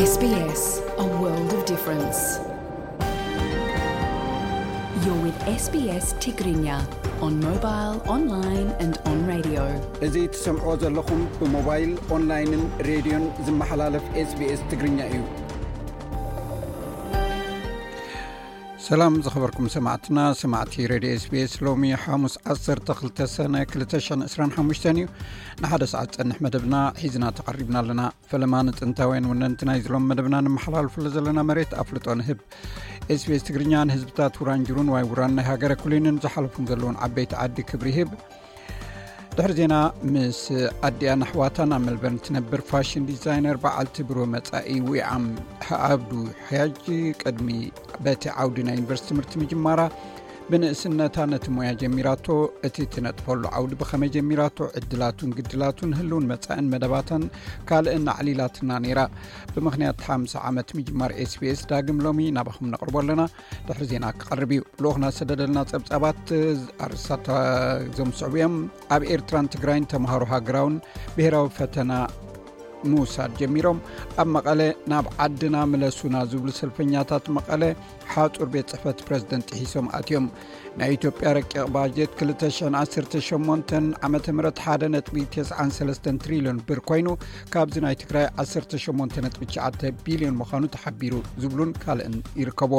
S B S, a world of difference. You're with S B S Tigrinya on mobile, online and on radio. እዚ ትሰምዕዎ ዘለኹም ብሞባይል፣ ኦንላይንን ሬድዮን ዝመሓላለፍ SBS ትግርኛ እዩ። ሰላም ዝኸበርኩም ሰማዕትና፣ ሰማዕቲ ሬድዮ SBS። ሎሚ ሓሙስ ዓሰርተ ክልተ ሰነ ክልተ ሽሕን ዕስራን ሓሙሽተን እዩ። ንሓደ ሰዓት ጸንሕ መደብና ሒዝና ተቐሪብና ኣለና። ፈለማ ንጥንታውያን ወነንቲ ናይዚ ሎም መደብና ንመሓላልፍሉ ዘለና መሬት ኣፍልጦ ንህብ። SBS ትግርኛ ንህዝብታት ውራንጅሩን ዋይ ውራን ናይ ሃገረ ኩሊንን ዝሓለፉን ዘለውን ዓበይቲ ዓዲ ክብሪ ይህብ። ድሕሪ ዜና ምስ ኣዲኣን ኣሕዋታን ኣብ ሜልበርን ትነብር ፋሽን ዲዛይነር በዓልቲ ብሩህ መጻኢ ዊዓም ዓብዱ ሕያጅ ቅድሚ በቲ ዓውዲ ናይ ዩኒቨርሲቲ ትምህርቲ ምጅማራ ብንእስነታ ነቲ ሞያ ጀሚራቶ፣ እቲ ትነጥፈሉ ዓውዲ ብኸመይ ጀሚራቶ፣ ዕድላቱን ግድላቱን፣ ህልውን መጻእን መደባታን ካልእን ኣዕሊላትና ነይራ። ብምኽንያት ሓምሳ ዓመት ምጅማር SBS ዳግም ሎሚ ናባኹም ነቕርቦ ኣለና። ድሕሪ ዜና ክቐርብ እዩ። ልኡኽና ዝሰደደልና ጸብጻባት ኣርእስታት እዞም ዝስዕቡ እዮም። ኣብ ኤርትራን ትግራይን ተምሃሮ ሃገራውን ብሄራዊ ፈተና ምውሳድ ጀሚሮም። ኣብ መቐለ ናብ ዓድና ምለሱና ዝብሉ ሰልፈኛታት መቐለ ሓጹር ቤት ጽሕፈት ፕረዚደንት ጥሒሶም ኣትዮም። ናይ ኢትዮጵያ ረቂቕ ባጀት ክልተ ሽሕን ዓሰርተ ሸሞንተን ዓመተ ምህረት ሓደ ነጥቢ ተስዓን ሰለስተን ትሪልዮን ብር ኮይኑ፣ ካብዚ ናይ ትግራይ ዓሰርተ ሸሞንተ ነጥቢ ትሽዓተ ቢልዮን ምዃኑ ተሓቢሩ ዝብሉን ካልእን ይርከቦ።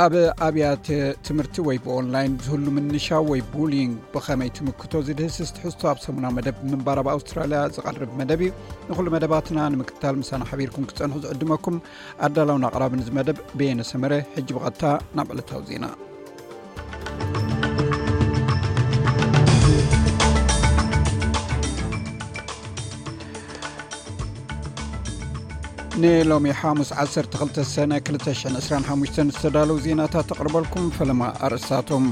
ኣብ ኣብያተ ትምህርቲ ወይ ብኦንላይን ዝህሉ ምንሻው ወይ ቡሊንግ ብኸመይ ትምክቶ ዝድህስስ ትሕዝቶ ኣብ ሰሙናዊ መደብ ምንባር ኣብ ኣውስትራልያ ዝቐርብ መደብ እዩ። ንኹሉ መደባትና ንምክትታል ምሳና ሓቢርኩም ክትጸንሑ ዝዕድመኩም ኣዳላውን ኣቕራብን እዚ መደብ በየነ ሰመረ። ሕጂ ብቐጥታ ናብ ዕለታዊ ዜና። ንሎሚ ሓሙስ ዓሰርተ ክልተ ሰነ ክልተ ሽሕን ዕስራን ሓሙሽተን ዝተዳለዉ ዜናታት ተቕርበልኩም። ፈለማ ኣርእስታቶም።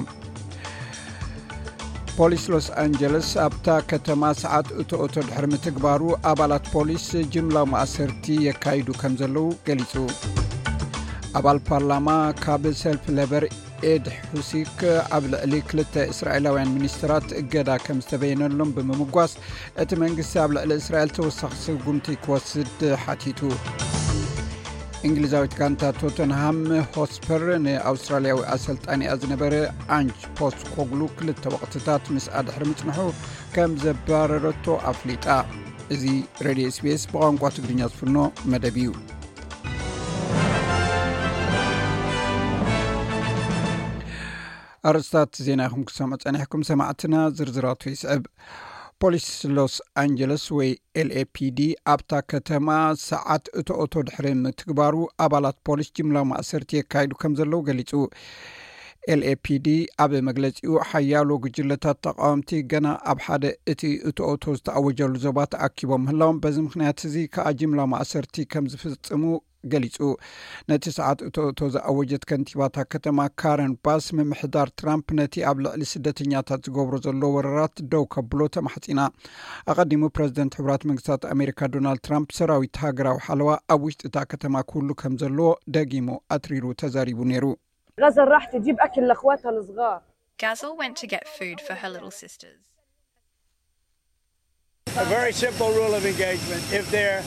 ፖሊስ ሎስ ኣንጀለስ ኣብታ ከተማ ሰዓት እቶ እቶ ድሕሪ ምትግባሩ ኣባላት ፖሊስ ጅምላዊ ማእሰርቲ የካይዱ ከም ዘለዉ ገሊጹ። ኣባል ፓርላማ ካብ ሰልፊ ሌበር ኤድ ሑሲክ ኣብ ልዕሊ ክልተ እስራኤላውያን ሚኒስትራት እገዳ ከም ዝተበየነሎም ብምምጓስ፣ እቲ መንግስቲ ኣብ ልዕሊ እስራኤል ተወሳኺ ስጉምቲ ክወስድ ሓቲቱ። እንግሊዛዊት ጋንታ ቶተንሃም ሆትስፐር ንኣውስትራልያዊ ኣሰልጣኒኣ ዝነበረ ኣንጅ ፖስት ኮግሉ ክልተ ወቕትታት ምስኣ ድሕሪ ምጽንሑ ከም ዘባረረቶ ኣፍሊጣ። እዚ ሬድዮ SBS ብቋንቋ ትግርኛ ዝፍኖ መደብ እዩ። ኣርእስታት ዜና ኢኹም ክሰምዑ ጸኒሕኩም ሰማዕትና፣ ዝርዝራቱ ይስዕብ። ፖሊስ ሎስ ኣንጀለስ ወይ LAPD ኣብታ ከተማ ሰዓት እቶ እቶ ድሕሪ ምትግባሩ ኣባላት ፖሊስ ጅምላዊ ማእሰርቲ የካይዱ ከም ዘለዉ ገሊጹ። LAPD ኣብ መግለጺኡ ሓያሎ ጉጅለታት ተቃወምቲ ገና ኣብ ሓደ እቲ እቶ እቶ ዝተኣወጀሉ ዞባ ተኣኪቦም ምህላዎም፣ በዚ ምኽንያት እዚ ከኣ ጅምላዊ ማእሰርቲ ከም ዝፍጽሙ ገሊጹ። ነቲ ሰዓት እቶ እቶ ዝኣወጀት ከንቲባታ ከተማ ካረን ባስ፣ ምምሕዳር ትራምፕ ነቲ ኣብ ልዕሊ ስደተኛታት ዝገብሮ ዘሎ ወረራት ደው ከብሎ ተማሕጺና። ኣቐዲሙ ፕረዚደንት ሕቡራት መንግስታት ኣሜሪካ ዶናልድ ትራምፕ ሰራዊት ሃገራዊ ሓለዋ ኣብ ውሽጢ እታ ከተማ ክህሉ ከም ዘለዎ ደጊሙ ኣትሪሩ ተዛሪቡ ነይሩ። غزل راح تجيب أكل لأخواتها الصغار. Gazel went to get food for her little sisters. A very simple rule of engagement. If they're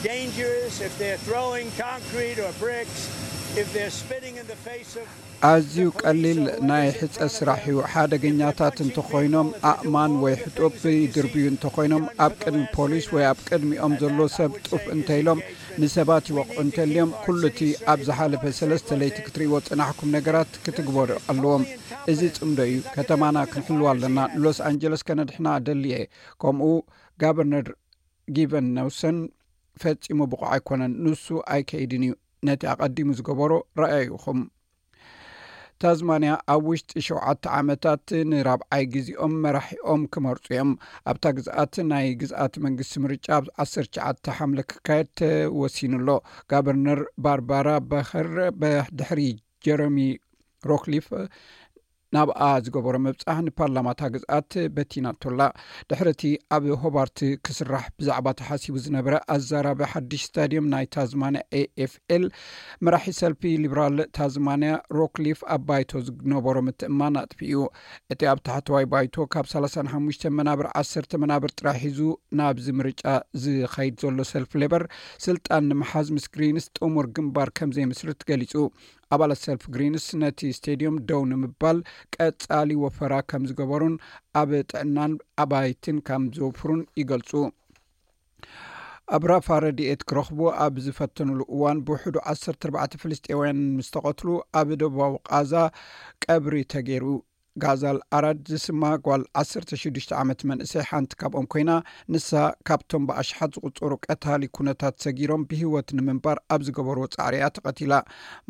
dangerous, if they're throwing concrete or bricks, if they're spitting in the face of ኣዝዩ ቀሊል ናይ ሕጸ ስራሕ እዩ። ሓደገኛታት እንተኾይኖም፣ ኣእማን ወይ ሕጡብ ይድርብዩ እንተኾይኖም፣ ኣብ ቅድሚ ፖሊስ ወይ ኣብ ቅድሚኦም ዘሎ ሰብ ጡፍ እንተኢሎም፣ ንሰባት ይወቕዑ እንተልዮም፣ ኩሉ እቲ ኣብ ዝሓለፈ ሰለስተ ለይቲ ክትርእይዎ ዝጸናሕኩም ነገራት ክትግበሩ ኣለዎም። እዚ ጽምዶ እዩ። ከተማና ክንሕልዋ ኣለና። ሎስ ኣንጀለስ ከነድሕና እደሊ እየ። ከምኡ ጋቨርነር ጊቨን ኔውሰም ፈጺሙ ብቑዕ ኣይኮነን። ንሱ ኣይከይድን እዩ። ነቲ ኣቐዲሙ ዝገበሮ ረኣዩ ኢኹም። ታዝማንያ ኣብ ውሽጢ ሸውዓተ ዓመታት ንራብዓይ ግዜኦም መራሒኦም ክመርጹ እዮም። ኣብታ ግዝኣት ናይ ግዝኣት መንግስቲ ምርጫ ኣብ ዓሰርተ ትሽዓተ ሓምለ ክካየድ ተወሲኑ ኣሎ። ጋቨርነር ባርባራ በኸር ብድሕሪ ጀረሚ ሮክሊፍ ናብኣ ዝገበሮ ምብጻሕ ንፓርላማታ ግዝኣት በቲናቶላ። ድሕሪ እቲ ኣብ ሆባርት ክስራሕ ብዛዕባ ተሓሲቡ ዝነበረ ኣዛራቢ ሓድሽ ስታድየም ናይ ታዝማንያ ኤ ኤፍ ኤል፣ መራሒ ሰልፊ ሊብራል ታዝማንያ ሮክሊፍ ኣብ ባይቶ ዝነበሮ ምትእማን ኣጥፊኡ። እቲ ኣብ ታሕተዋይ ባይቶ ካብ ሰላሳ ሓሙሽተ መናብር ዓሰርተ መናብር ጥራሕ ሒዙ ናብዚ ምርጫ ዝኸይድ ዘሎ ሰልፊ ሌበር፣ ስልጣን ንምሓዝ ምስ ግሪንስ ጥሙር ግንባር ከም ዘይምስርት ገሊጹ። ኣባላት ሰልፊ ግሪንስ ነቲ ስቴድዮም ደው ንምባል ቀጻሊ ወፈራ ከም ዝገበሩን ኣብ ጥዕናን ኣባይትን ከም ዘውፍሩን ይገልጹ። ኣብ ራፋ ረድኤት ክረኽቡ ኣብ ዝፈተኑሉ እዋን ብውሕዱ ዓሰርተ ኣርባዕተ ፍልስጤውያን ምስ ተቐትሉ፣ ኣብ ደቡባዊ ቃዛ ቀብሪ ተገይሩ። ጋዛል ኣራድ ዝስማ ጓል ዓሰርተ ሽዱሽተ ዓመት መንእሰይ ሓንቲ ካብኦም ኮይና፣ ንሳ ካብቶም ብኣሽሓት ዝቑጸሩ ቀታሊ ኩነታት ሰጊሮም ብህይወት ንምንባር ኣብ ዝገበርዎ ጻዕሪ እያ ተቐቲላ።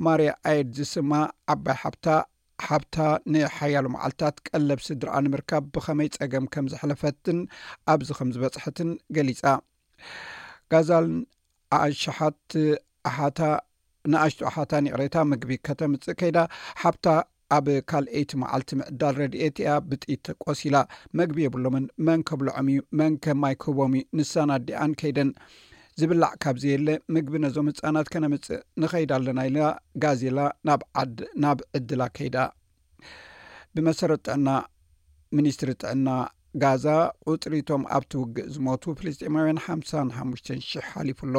ማርያ ኣየድ ዝስማ ዓባይ ሓብታ፣ ሓብታ ንሓያሎ መዓልታት ቀለብ ስድራኣ ንምርካብ ብኸመይ ጸገም ከም ዘሕለፈትን ኣብዚ ከም ዝበጽሐትን ገሊጻ። ጋዛል ኣሽሓት ኣሓታ ንኣሽቱ ኣሓታን ይቕሬታ ምግቢ ከተምጽእ ከይዳ፣ ሓብታ ኣብ ካልኣይቲ መዓልቲ ምዕዳል ረድኤት እያ ብጥይት ቆሲላ። መግቢ የብሎምን። መን ከብልዖም እዩ? መን ከማይ ክህቦም እዩ? ንሳን ኣዲኣን ከይደን፣ ዝብላዕ ካብ ዘየለ ምግቢ ነዞም ህጻናት ከነምጽእ ንኸይድ ኣለና ኢላ ጋዜላ ናብ ዓድ-፣ ናብ ዕድላ ከይዳ። ብመሰረት ጥዕና፣ ሚኒስትሪ ጥዕና ጋዛ፣ ቁጽሪ እቶም ኣብቲ ውግእ ዝሞቱ ፍልስጤማውያን ሓምሳን ሓሙሽተን ሽሕ ሓሊፉ ኣሎ።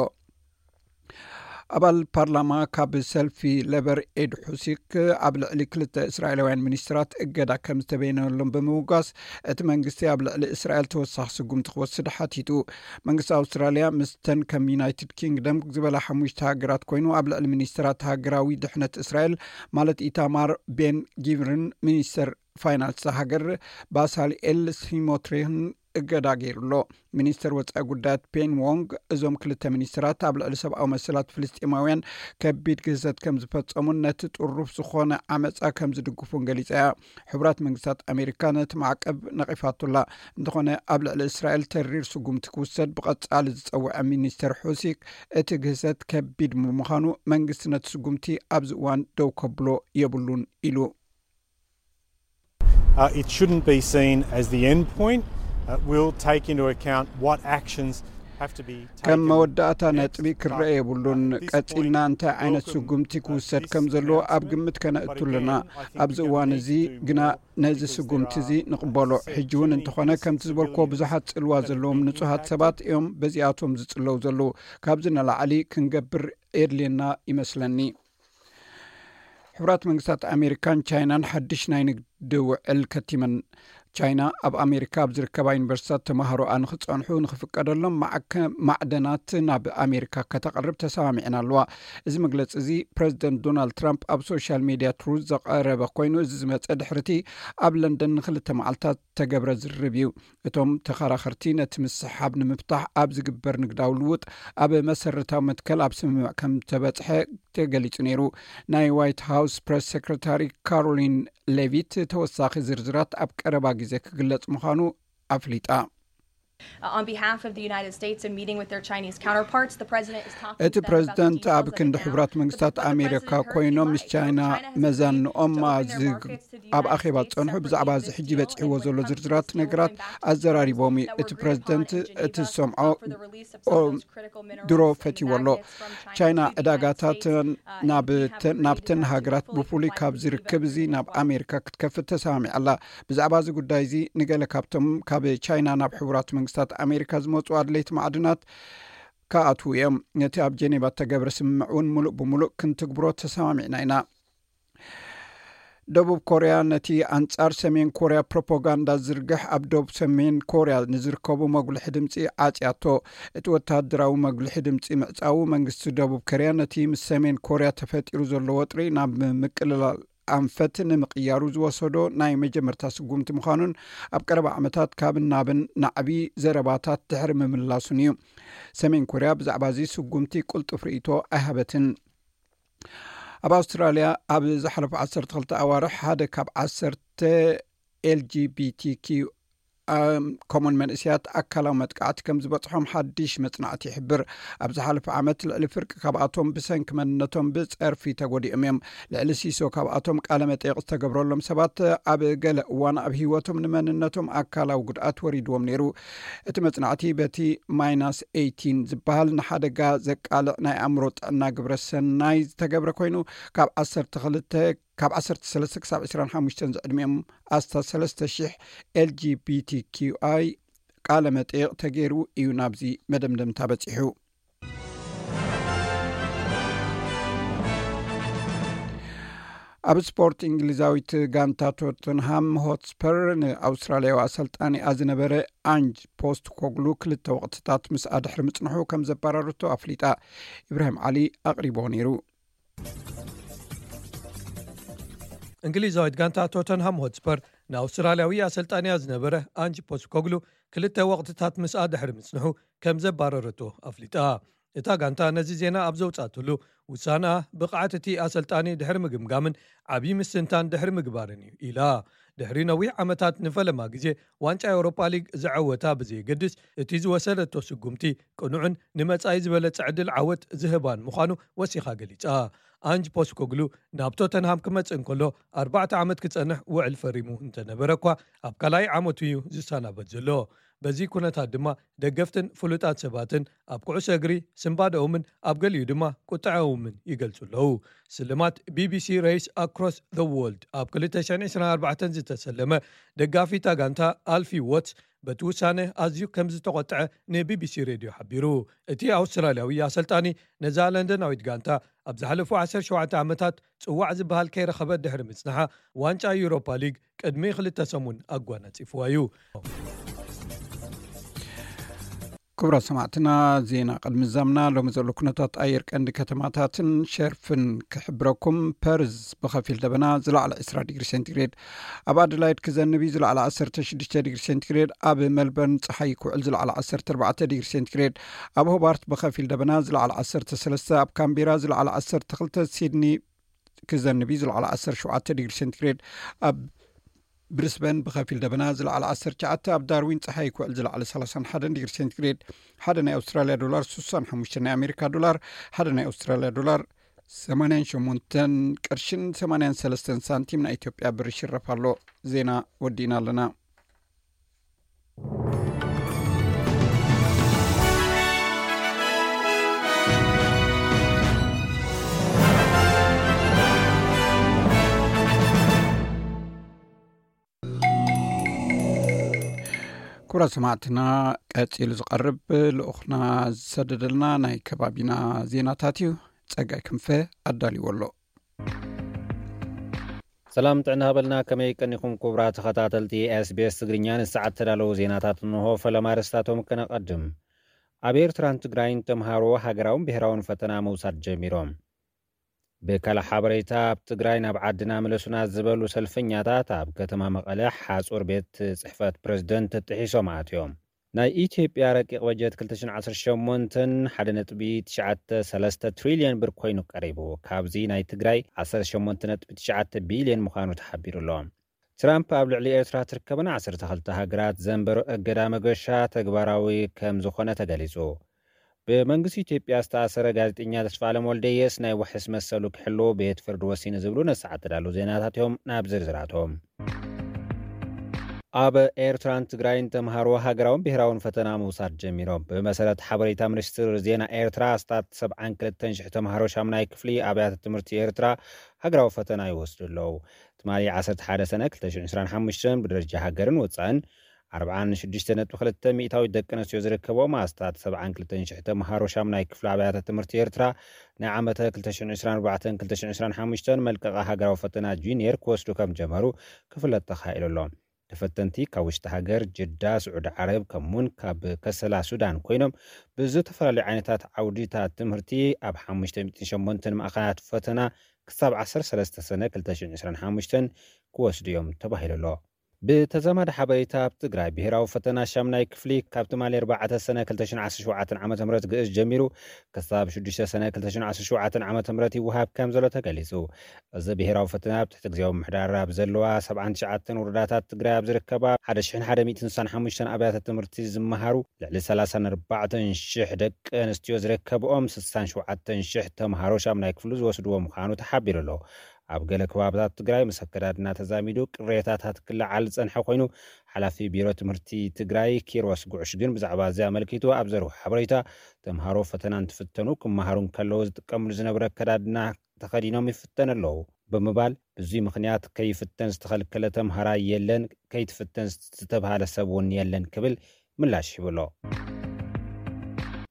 ኣባል ፓርላማ ካብ ሰልፊ ሌበር ኤድ ሑሲክ ኣብ ልዕሊ ክልተ እስራኤላውያን ሚኒስትራት እገዳ ከም ዝተበየነሎም ብምውጋስ፣ እቲ መንግስቲ ኣብ ልዕሊ እስራኤል ተወሳኺ ስጉምቲ ክወስድ ሓቲቱ። መንግስቲ ኣውስትራልያ ምስተን ከም ዩናይትድ ኪንግደም ዝበላ ሓሙሽተ ሃገራት ኮይኑ፣ ኣብ ልዕሊ ሚኒስትራት ሃገራዊ ድሕነት እስራኤል ማለት ኢታማር ቤን ጊቭርን ሚኒስተር ፋይናንስ ሃገር ባሳልኤል ሲሞትሪን እገዳ ገይሩ ኣሎ። ሚኒስተር ወጻኢ ጉዳያት ፔን ዎንግ፣ እዞም ክልተ ሚኒስተራት ኣብ ልዕሊ ሰብኣዊ መሰላት ፍልስጤማውያን ከቢድ ግህሰት ከም ዝፈጸሙን ነቲ ጥሩፍ ዝኾነ ዓመጻ ከም ዝድግፉን ገሊጻ እያ። ሕቡራት መንግስታት ኣሜሪካ ነቲ ማዕቀብ ነቒፋቱላ። እንተኾነ፣ ኣብ ልዕሊ እስራኤል ተሪር ስጉምቲ ክውሰድ ብቐጻሊ ዝጸውዐ ሚኒስተር ሑሲክ፣ እቲ ግህሰት ከቢድ ብምዃኑ መንግስቲ ነቲ ስጉምቲ ኣብዚ እዋን ደው ከብሎ የብሉን ኢሉ። Uh, it shouldn't be seen as the end point. Uh, we'll take into account what actions have to be taken. ከም መወዳእታ ነጥቢ ክረአ የብሉን። ቀጺልና እንታይ ዓይነት ስጉምቲ ክውሰድ ከም ዘለዎ ኣብ ግምት ከነእቱ ኣለና። ኣብዚ እዋን እዚ ግና ነዚ ስጉምቲ እዚ ንቕበሎ። ሕጂ እውን እንተኾነ፣ ከምቲ ዝበልክዎ፣ ብዙሓት ጽልዋ ዘለዎም ንጹሃት ሰባት እዮም በዚኣቶም ዝጽለዉ ዘለዉ። ካብዚ ንላዕሊ ክንገብር የድልየና ይመስለኒ። ሕቡራት መንግስታት ኣሜሪካን ቻይናን ሓድሽ ናይ ንግዲ ውዕል ከቲመን። ቻይና ኣብ ኣሜሪካ ኣብ ዝርከባ ዩኒቨርሲታት ተምሃሮኣ ንክጸንሑ ንክፍቀደሎም ማዕከ-፣ ማዕደናት ናብ ኣሜሪካ ከተቕርብ ተሰማሚዐን ኣለዋ። እዚ መግለጺ እዚ ፕረዚደንት ዶናልድ ትራምፕ ኣብ ሶሻል ሜድያ ትሩዝ ዘቐረበ ኮይኑ፣ እዚ ዝመጸ ድሕርቲ ኣብ ለንደን ንክልተ መዓልታት ተገብረ ዝርርብ እዩ። እቶም ተኸራኸርቲ ነቲ ምስሓብ ንምፍታሕ ኣብ ዝግበር ንግዳዊ ልውጥ ኣብ መሰረታዊ መትከል ኣብ ስምምዕ ከም ተበጽሐ ተገሊጹ ነይሩ። ናይ ዋይት ሃውስ ፕረስ ሴክረታሪ ካሮሊን ሌቪት፣ ተወሳኺ ዝርዝራት ኣብ ቀረባ ግዜ ክግለጽ ምዃኑ ኣፍሊጣ። Uh, on behalf of the United States and meeting with their Chinese counterparts, the president is talking እቲ to them about the ፕረዚደንት ኣብ details of it ክንዲ now. ሕቡራት መንግስታት ኣሜሪካ ኮይኖም ምስ ቻይና መዛንኦም ኣብ ኣኼባ ዝጸንሑ ብዛዕባ እዚ ሕጂ በጺሕዎ ዘሎ ዝርዝራት ነገራት ኣዘራሪቦም እዩ። እቲ ፕረዚደንት እቲ ዝሰምዖ ድሮ ፈትይዎ ኣሎ። ቻይና ዕዳጋታት ናብተን ሃገራት ብፍሉይ ካብ ዝርከብ እዚ ናብ ኣሜሪካ ክትከፍት ተሰማሚዓ ኣላ። ብዛዕባ እዚ ጉዳይ እዚ ንገለ ካብቶም ካብ ቻይና ናብ ሕቡራት መንግስታት ኣሜሪካ ዝመጹ ኣድለይቲ ማዕድናት ክኣትዉ እዮም። ነቲ ኣብ ጀኔቫ እተገብረ ስምምዕ እውን ምሉእ ብምሉእ ክንትግብሮ ተሰማሚዕና ኢና። ደቡብ ኮርያ ነቲ ኣንጻር ሰሜን ኮርያ ፕሮፓጋንዳ ዝዝርግሕ ኣብ ደቡብ ሰሜን ኮርያ ንዝርከቡ መጉልሒ ድምጺ ዓጽያቶ። እቲ ወተሃደራዊ መጉልሒ ድምጺ ምዕጻዉ መንግስቲ ደቡብ ኮርያ ነቲ ምስ ሰሜን ኮርያ ተፈጢሩ ዘሎ ወጥሪ ናብ ምቅልላል ኣንፈት ንምቕያሩ ዝወሰዶ ናይ መጀመርታ ስጉምቲ ምዃኑን ኣብ ቀረባ ዓመታት ካብ ናብን ናዕቢ ዘረባታት ድሕሪ ምምላሱን እዩ። ሰሜን ኮርያ ብዛዕባ እዚ ስጉምቲ ቅልጡፍ ርእይቶ ኣይሃበትን። ኣብ ኣውስትራልያ ኣብ ዝሓለፉ ዓሰርተ ክልተ ኣዋርሕ ሓደ ካብ ዓሰርተ ኤል ጂ ቢ ቲ ኪው ከምኡን መንእስያት ኣካላዊ መጥቃዕቲ ከም ዝበጽሖም ሓድሽ መጽናዕቲ ይሕብር። ኣብ ዝሓለፈ ዓመት ልዕሊ ፍርቂ ካብኣቶም ብሰንኪ መንነቶም ብጸርፊ ተጎዲኦም እዮም። ልዕሊ ሲሶ ካብኣቶም ቃለ መጠይቕ ዝተገብረሎም ሰባት ኣብ ገለ እዋን ኣብ ህይወቶም ንመንነቶም ኣካላዊ ጉድኣት ወሪድዎም ነይሩ። እቲ መጽናዕቲ በቲ ማይናስ ኤይቲን ዝበሃል ንሓደጋ ዘቃልዕ ናይ ኣእምሮ ጥዕና ግብረ ሰናይ ዝተገብረ ኮይኑ ካብ ዓሰርተ ክልተ ካብ ዓሰርተ ሰለስተ ክሳብ ዕስራን ሓሙሽተን ዝዕድሚኦም ኣስታት ሰለስተ ሽሕ ኤልጂቢቲኪዩኣይ ቃለ መጠይቕ ተገይሩ እዩ ናብዚ መደምደምታ በጺሑ። ኣብ ስፖርት፣ እንግሊዛዊት ጋንታ ቶተንሃም ሆትስፐር ንኣውስትራልያዊ ኣሰልጣኒኣ ዝነበረ ኣንጅ ፖስት ኮግሉ ክልተ ወቕትታት ምስኣ ድሕሪ ምጽንሑ ከም ዘባረረቶ ኣፍሊጣ። ኢብራሂም ዓሊ ኣቕሪቦ ነይሩ። እንግሊዛዊት ጋንታ ቶተንሃም ሆትስፐር ንኣውስትራልያዊ ኣሰልጣኒያ ዝነበረ ኣንጅ ፖስት ኮግሉ ክልተ ወቕትታት ምስኣ ድሕሪ ምጽንሑ ከም ዘባረረቶ ኣፍሊጣ። እታ ጋንታ ነዚ ዜና ኣብ ዘውጻእትሉ፣ ውሳና ብቕዓት እቲ ኣሰልጣኒ ድሕሪ ምግምጋምን ዓብዪ ምስትንታን ድሕሪ ምግባርን እዩ ኢላ። ድሕሪ ነዊሕ ዓመታት ንፈለማ ግዜ ዋንጫ ኤውሮፓ ሊግ ዝዐወታ ብዘየገድስ፣ እቲ ዝወሰደቶ ስጉምቲ ቅኑዕን ንመጻኢ ዝበለጸ ዕድል ዓወት ዝህባን ምዃኑ ወሲኻ ገሊጻ። ኣንጅ ፖስኮግሉ ናብ ቶተንሃም ክመጽእ እንከሎ ኣርባዕተ ዓመት ክጸንሕ ውዕል ፈሪሙ እንተነበረ እኳ፣ ኣብ ካልኣይ ዓመቱ እዩ ዝሰናበት ዘሎ። በዚ ኩነታት ድማ ደገፍትን ፍሉጣት ሰባትን ኣብ ኩዕሶ እግሪ ስንባደኦምን ኣብ ገሊኡ ድማ ቁጥዐኦምን ይገልጹ ኣለዉ። ስልማት ቢቢሲ ሬስ ኣክሮስ ዘ ዎልድ ኣብ ክልተ ሽሕን ዕስራን ኣርባዕተን ዝተሰለመ ደጋፊ እታ ጋንታ ኣልፊ ዎትስ በቲ ውሳነ ኣዝዩ ከም ዝተቖጥዐ ንቢቢሲ ሬድዮ ሓቢሩ። እቲ ኣውስትራልያዊ ኣሰልጣኒ ነዛ ለንደናዊት ጋንታ ኣብ ዝሓለፉ ዓሰርተ ሸውዓተ ዓመታት ጽዋዕ ዝበሃል ከይረኸበት ድሕሪ ምጽንሓ ዋንጫ ዩሮፓ ሊግ ቅድሚ ክልተ ሰሙን ኣጓናጺፍዋ እዩ። ክቡራት ሰማዕትና፣ ዜና ቅድሚ ዛምና ሎሚ ዘሎ ኩነታት ኣየር ቀንዲ ከተማታትን ሸርፍን ክሕብረኩም። ፐርዝ ብኸፊል ደበና፣ ዝለዓለ ዕስራ ዲግሪ ሴንቲግሬድ። ኣብ ኣደላይድ ክዘንብ እዩ፣ ዝለዓለ ዓሰርተ ሽዱሽተ ዲግሪ ሴንቲግሬድ። ኣብ መልበርን ጸሓይ ክውዕል፣ ዝለዓለ ዓሰርተ ኣርባዕተ ዲግሪ ሴንቲግሬድ። ኣብ ሆባርት ብኸፊል ደበና፣ ዝለዓለ ዓሰርተ ሰለስተ። ኣብ ካምቤራ ዝለዓለ ዓሰርተ ክልተ። ሲድኒ ክዘንብ እዩ፣ ዝለዓለ ዓሰርተ ሸውዓተ ዲግሪ ሴንቲግሬድ። ኣብ ብሪስበን ብኸፊል ደበና፣ ዝለዓለ ዓሰርተ ትሽዓተ። ኣብ ዳርዊን ጸሓይ ክውዕል፣ ዝለዓለ ሰላሳን ሓደን ዲግሪ ሴንቲግሬድ። ሓደ ናይ ኣውስትራልያ ዶላር ስሳን ሓሙሽተን ናይ ኣሜሪካ ዶላር፣ ሓደ ናይ ኣውስትራልያ ዶላር ሰማንያን ሸሞንተን ቅርሽን ሰማንያን ሰለስተን ሳንቲም ናይ ኢትዮጵያ ብር ይሽረፍ ኣሎ። ዜና ወዲእና ኣለና። ክቡራት ሰማዕትና፣ ቀጺሉ ዝቐርብ ልኡኽና ዝሰደደልና ናይ ከባቢና ዜናታት እዩ። ጸጋይ ክንፈ ኣዳልዎ ኣሎ። ሰላም ጥዕና ሃበልና፣ ከመይ ቀኒኹም ክቡራት ተኸታተልቲ ኤስቢኤስ ትግርኛ? ንሰዓት ተዳለዉ ዜናታት እንሆ። ፈለማ ኣርእስታቶም ከነቐድም። ኣብ ኤርትራን ትግራይን ተምሃሮ ሃገራውን ብሄራውን ፈተና ምውሳድ ጀሚሮም። ብካልእ ሓበሬታ፣ ኣብ ትግራይ ናብ ዓድና ምለሱና ዝበሉ ሰልፈኛታት ኣብ ከተማ መቐለ ሓጹር ቤት ጽሕፈት ፕረዚደንት ጥሒሶም ኣትዮም። ናይ ኢትዮጵያ ረቂቕ በጀት ክልተ ሽሕን ዓሰርተ ሸሞንተን ሓደ ነጥቢ ትሽዓተ ሰለስተ ትሪልዮን ብር ኮይኑ ቀሪቡ። ካብዚ ናይ ትግራይ ዓሰርተ ሸሞንተ ነጥቢ ትሽዓተ ቢልዮን ምዃኑ ተሓቢሩ ኣሎ። ትራምፕ ኣብ ልዕሊ ኤርትራ ትርከበን ዓሰርተ ክልተ ሃገራት ዘንበሮ እገዳ መገሻ ተግባራዊ ከም ዝኾነ ተገሊጹ። ብመንግስቲ ኢትዮጵያ ዝተኣሰረ ጋዜጠኛ ተስፋኣለም ወልደየስ ናይ ዋሕስ መሰሉ ክሕሉ ቤት ፍርዲ ወሲኑ ዝብሉ ነሰዓት ተዳለዉ ዜናታት እዮም። ናብ ዝርዝራቶም። ኣብ ኤርትራን ትግራይን ተምሃሮ ሃገራውን ብሄራውን ፈተና ምውሳድ ጀሚሮም። ብመሰረት ሓበሬታ ሚኒስትር ዜና ኤርትራ፣ ኣስታት ሰብዓን ክልተን ሽሕ ተምሃሮ ሻምናይ ክፍሊ ኣብያተ ትምህርቲ ኤርትራ ሃገራዊ ፈተና ይወስዱ ኣለዉ። ትማሊ ዓሰርተ ሓደ ሰነ ክልተ ሽሕን ዕስራን ሓሙሽተን ብደረጃ ሃገርን ወጻእን ኣርብዓን ሽዱሽተ ነጥቢ ክልተ ሚእታዊት ደቂ ኣንስትዮ ዝርከብኦም ኣስታት ሰብዓን ክልተን ሽሕ ተምሃሮ ሻምናይ ክፍሊ ኣብያተ ትምህርቲ ኤርትራ ናይ ዓመተ ክልተ ሽሕን ዕስራን ኣርባዕተን ክልተ ሽሕን ዕስራን ሓሙሽተን መልቀቒ ሃገራዊ ፈተና ጁኒየር ክወስዱ ከም ጀመሩ ክፍለጥ ተኻኢሉ ኣሎ። ተፈተንቲ ካብ ውሽጢ ሃገር፣ ጅዳ፣ ስዑዲ ዓረብ፣ ከምኡውን ካብ ከሰላ ሱዳን ኮይኖም ብዝተፈላለዩ ዓይነታት ዓውዲታት ትምህርቲ ኣብ ሓሙሽተ ሚእትን ሸሞንተን ማእኸላት ፈተና ክሳብ ዓሰርተ ሰለስተ ሰነ ክልተ ሽሕን ዕስራን ሓሙሽተን ክወስዱ እዮም ተባሂሉ ኣሎ። ብተዛማዲ ሓበሬታ፣ ኣብ ትግራይ ብሄራዊ ፈተና ሻምናይ ክፍሊ ካብ ትማሊ ኣርባዕተ ሰነ ክልተ ሽሕን ዓሰርተ ሸውዓተን ዓመተ ምህረት ግእዝ ጀሚሩ ክሳብ ሽዱሽተ ሰነ ክልተ ሽሕን ዓሰርተ ሸውዓተን ዓመተ ምህረት ይወሃብ ከም ዘሎ ተገሊጹ። እዚ ብሄራዊ ፈተና ኣብ ትሕቲ ግዜያዊ ምምሕዳር ኣብ ዘለዋ ሰብዓን ትሽዓተን ወረዳታት ትግራይ ኣብ ዝርከባ ሓደ ሽሕን ሓደ ሚእትን ስሳን ሓሙሽተን ኣብያተ ትምህርቲ ዝመሃሩ ልዕሊ ሰላሳን ኣርባዕተን ሽሕ ደቂ ኣንስትዮ ዝርከብኦም ስሳን ሸውዓተን ሽሕ ተምሃሮ ሻምናይ ክፍሉ ዝወስድዎ ምዃኑ ተሓቢሩ ኣሎ። ኣብ ገለ ከባብታት ትግራይ ምስ ኣከዳድና ተዛሚዱ ቅሬታታት ክለዓል ዝጸንሐ ኮይኑ፣ ሓላፊ ቢሮ ትምህርቲ ትግራይ ኪሮስ ጉዕሽ ግን ብዛዕባ እዚ ኣመልኪቱ ኣብ ዘርቦ ሓበሬታ፣ ተምሃሮ ፈተና እንትፍተኑ ክመሃሩ እንከለዉ ዝጥቀምሉ ዝነበረ ኣከዳድና ተኸዲኖም ይፍተኑ ኣለዉ ብምባል፣ ብዙይ ምኽንያት ከይፍተን ዝተኸልከለ ተምሃራይ የለን፣ ከይትፍተን ዝተብሃለ ሰብ እውን የለን ክብል ምላሽ ሂቡ ኣሎ።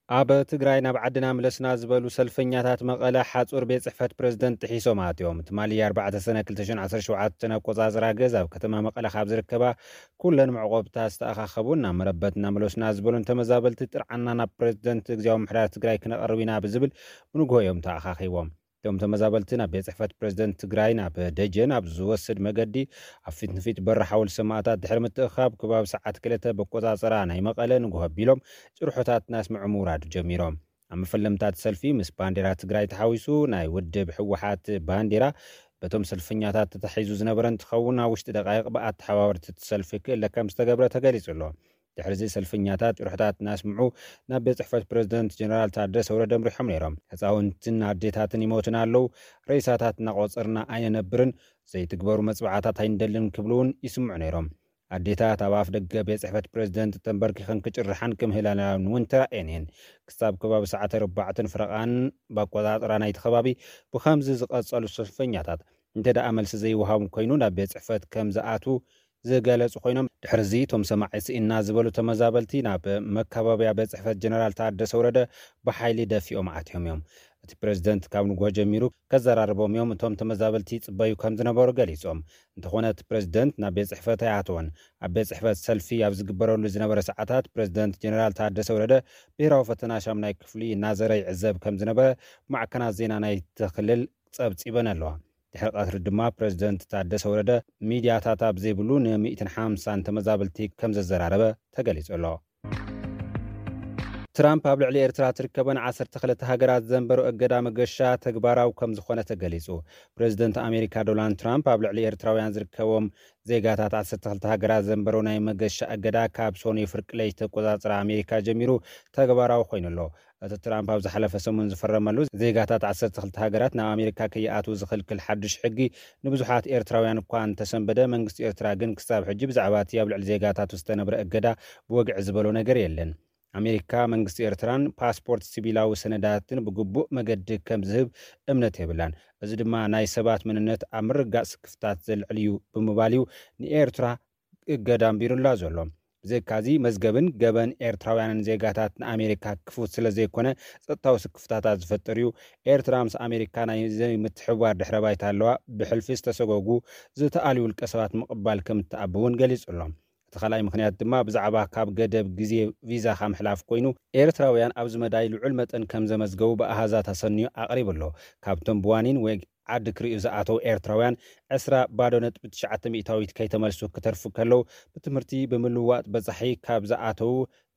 ኣብ ትግራይ ናብ ዓድና ምለሱና ዝበሉ ሰልፈኛታት መቐለ ሓፁር ቤት ፅሕፈት ፕሬዝደንት ጥሒሶም ኣትዮም። ትማሊ ኣርባዕተ ሰነ ክልተ ሽሕን ዓሰርተ ሸውዓተን ኣቆፃፅራ ግእዝ ኣብ ከተማ መቐለ ካብ ዝርከባ ኩለን መዕቆብታ ዝተኣኻኸቡ፣ ናብ መረበትና ምለሱና ዝበሉን ተመዛበልቲ ጥርዓና ናብ ፕሬዝደንት ግዜያዊ ምምሕዳር ትግራይ ክነቐርብ ኢና ብዝብል ብንግሆ እዮም ተኣኻኺቦም። እቶም ተመዛበልቲ ናብ ቤት ጽሕፈት ፕሬዝደንት ትግራይ ናብ ደጀን ኣብ ዝወስድ መገዲ ኣብ ፊት ንፊት በሪ ሓወልቲ ሰማእታት ድሕሪ ምትእኻብ ከባቢ ሰዓት ክልተ በቆጻጸራ ናይ መቐለ ንግሆ ኣቢሎም ጭርሖታት እናስምዑ ምውራድ ጀሚሮም። ኣብ መፈለምታት ሰልፊ ምስ ባንዴራ ትግራይ ተሓዊሱ ናይ ውድብ ህወሓት ባንዴራ በቶም ሰልፈኛታት ተታሒዙ ዝነበረ እንትኸውን፣ ኣብ ውሽጢ ደቃይቕ ብኣተሓባበርቲ እቲ ሰልፊ ክእለ ከም ዝተገብረ ተገሊጹ ኣሎ። ድሕሪ እዚ ሰልፈኛታት ጭርሖታት እናስምዑ ናብ ቤት ጽሕፈት ፕሬዝደንት ጀነራል ታደሰ ወረደ ኣምሪሖም ነይሮም። ህፃውንትን ኣዴታትን ይሞቱና ኣለዉ፣ ሬሳታት እናቆጸርና ኣይንነብርን፣ ዘይትግበሩ መጽባዕታት ኣይንደልን ክብሉ እውን ይስምዑ ነይሮም። ኣዴታት ኣብ ኣፍ ደገ ቤት ጽሕፈት ፕሬዝደንት ተንበርኪኸን ክጭርሓን ክምህላላን እውን ተራእየን እየን። ክሳብ ከባቢ ሰዓት ኣርባዕተን ፍረቓን ብኣቆጻጽራ ናይቲ ከባቢ ብኸምዚ ዝቐጸሉ ሰልፈኛታት እንተ ደኣ መልሲ ዘይወሃቦም ኮይኑ ናብ ቤት ጽሕፈት ከም ዝኣትዉ ዝገለጹ ኮይኖም፣ ድሕሪ እዚ እቶም ሰማዒ ስኢና ዝበሉ ተመዛበልቲ ናብ መካበብያ ቤት ጽሕፈት ጀነራል ታደሰ ወረደ ብሓይሊ ደፊኦም ኣትዮም እዮም። እቲ ፕሬዝደንት ካብ ንግሆ ጀሚሩ ከዘራርቦም እዮም፣ እቶም ተመዛበልቲ ይጽበዩ ከም ዝነበሩ ገሊጾም። እንተኾነ እቲ ፕሬዝደንት ናብ ቤት ጽሕፈት ኣይኣተወን። ኣብ ቤት ጽሕፈት ሰልፊ ኣብ ዝግበረሉ ዝነበረ ሰዓታት ፕሬዝደንት ጀነራል ታደሰ ወረደ ብሄራዊ ፈተና ሻምናይ ክፍሊ እናዘረ ይዕዘብ ከም ዝነበረ ማዕከናት ዜና ናይቲ ክልል ጸብጺበን ኣለዋ። ድሕሪ ቀትሪ ድማ ፕሬዝደንት ታደሰ ወረደ ሚድያታት ኣብ ዘይብሉ ንሚእትን ሓምሳን ተመዛበልቲ ከም ዘዘራረበ ተገሊጹ ኣሎ። ትራምፕ ኣብ ልዕሊ ኤርትራ ትርከበን ዓሰርተ ክልተ ሃገራት ዘንበሮ እገዳ መገሻ ተግባራዊ ከም ዝኾነ ተገሊጹ። ፕሬዝደንት ኣሜሪካ ዶናልድ ትራምፕ ኣብ ልዕሊ ኤርትራውያን ዝርከቦም ዜጋታት ዓሰርተ ክልተ ሃገራት ዘንበሮ ናይ መገሻ እገዳ ካብ ሰኑይ ፍርቂ ለይቲ ተቆጻጽራ ኣሜሪካ ጀሚሩ ተግባራዊ ኮይኑ ኣሎ። እቲ ትራምፕ ኣብ ዝሓለፈ ሰሙን ዝፈረመሉ ዜጋታት ዓሰርተ ክልተ ሃገራት ናብ ኣሜሪካ ከይኣትዉ ዝኽልክል ሓድሽ ሕጊ ንብዙሓት ኤርትራውያን እኳ እንተሰንበደ፣ መንግስቲ ኤርትራ ግን ክሳብ ሕጂ ብዛዕባ እቲ ኣብ ልዕሊ ዜጋታቱ ዝተነብረ እገዳ ብወግዒ ዝበሎ ነገር የለን። ኣሜሪካ መንግስቲ ኤርትራን ፓስፖርት ሲቪላዊ ሰነዳትን ብግቡእ መገዲ ከም ዝህብ እምነት የብላን። እዚ ድማ ናይ ሰባት መንነት ኣብ ምርግጋጽ ስክፍታት ዘልዕል እዩ ብምባል እዩ ንኤርትራ እገዳ ኣንቢሩላ ዘሎ። ብዘይካዚ መዝገብን ገበን ኤርትራውያንን ዜጋታት ንኣሜሪካ ክፉት ስለ ዘይኮነ ጸጥታዊ ስክፍታታት ዝፈጥር እዩ። ኤርትራ ምስ ኣሜሪካ ናይ ዘይምትሕብባር ድሕረ ባይታ ኣለዋ። ብሕልፊ ዝተሰጎጉ ዝተኣልዩ ውልቀ ሰባት ምቕባል ከም እትኣቢ እውን ገሊጹ ኣሎ። እቲ ካልኣይ ምኽንያት ድማ ብዛዕባ ካብ ገደብ ግዜ ቪዛኻ ምሕላፍ ኮይኑ፣ ኤርትራውያን ኣብዚ መዳይ ልዑል መጠን ከም ዘመዝገቡ ብኣሃዛት ኣሰንዩ ኣቕሪቡ ኣሎ። ካብቶም ብዋኒን ወይ ዓዲ ክርእዩ ዝኣተዉ ኤርትራውያን ዕስራ ባዶ ነጥቢ ትሽዓተ ሚእታዊት ከይተመልሱ ክተርፉ ከለዉ፣ ብትምህርቲ ብምልዋጥ በጻሒ ካብ ዝኣተዉ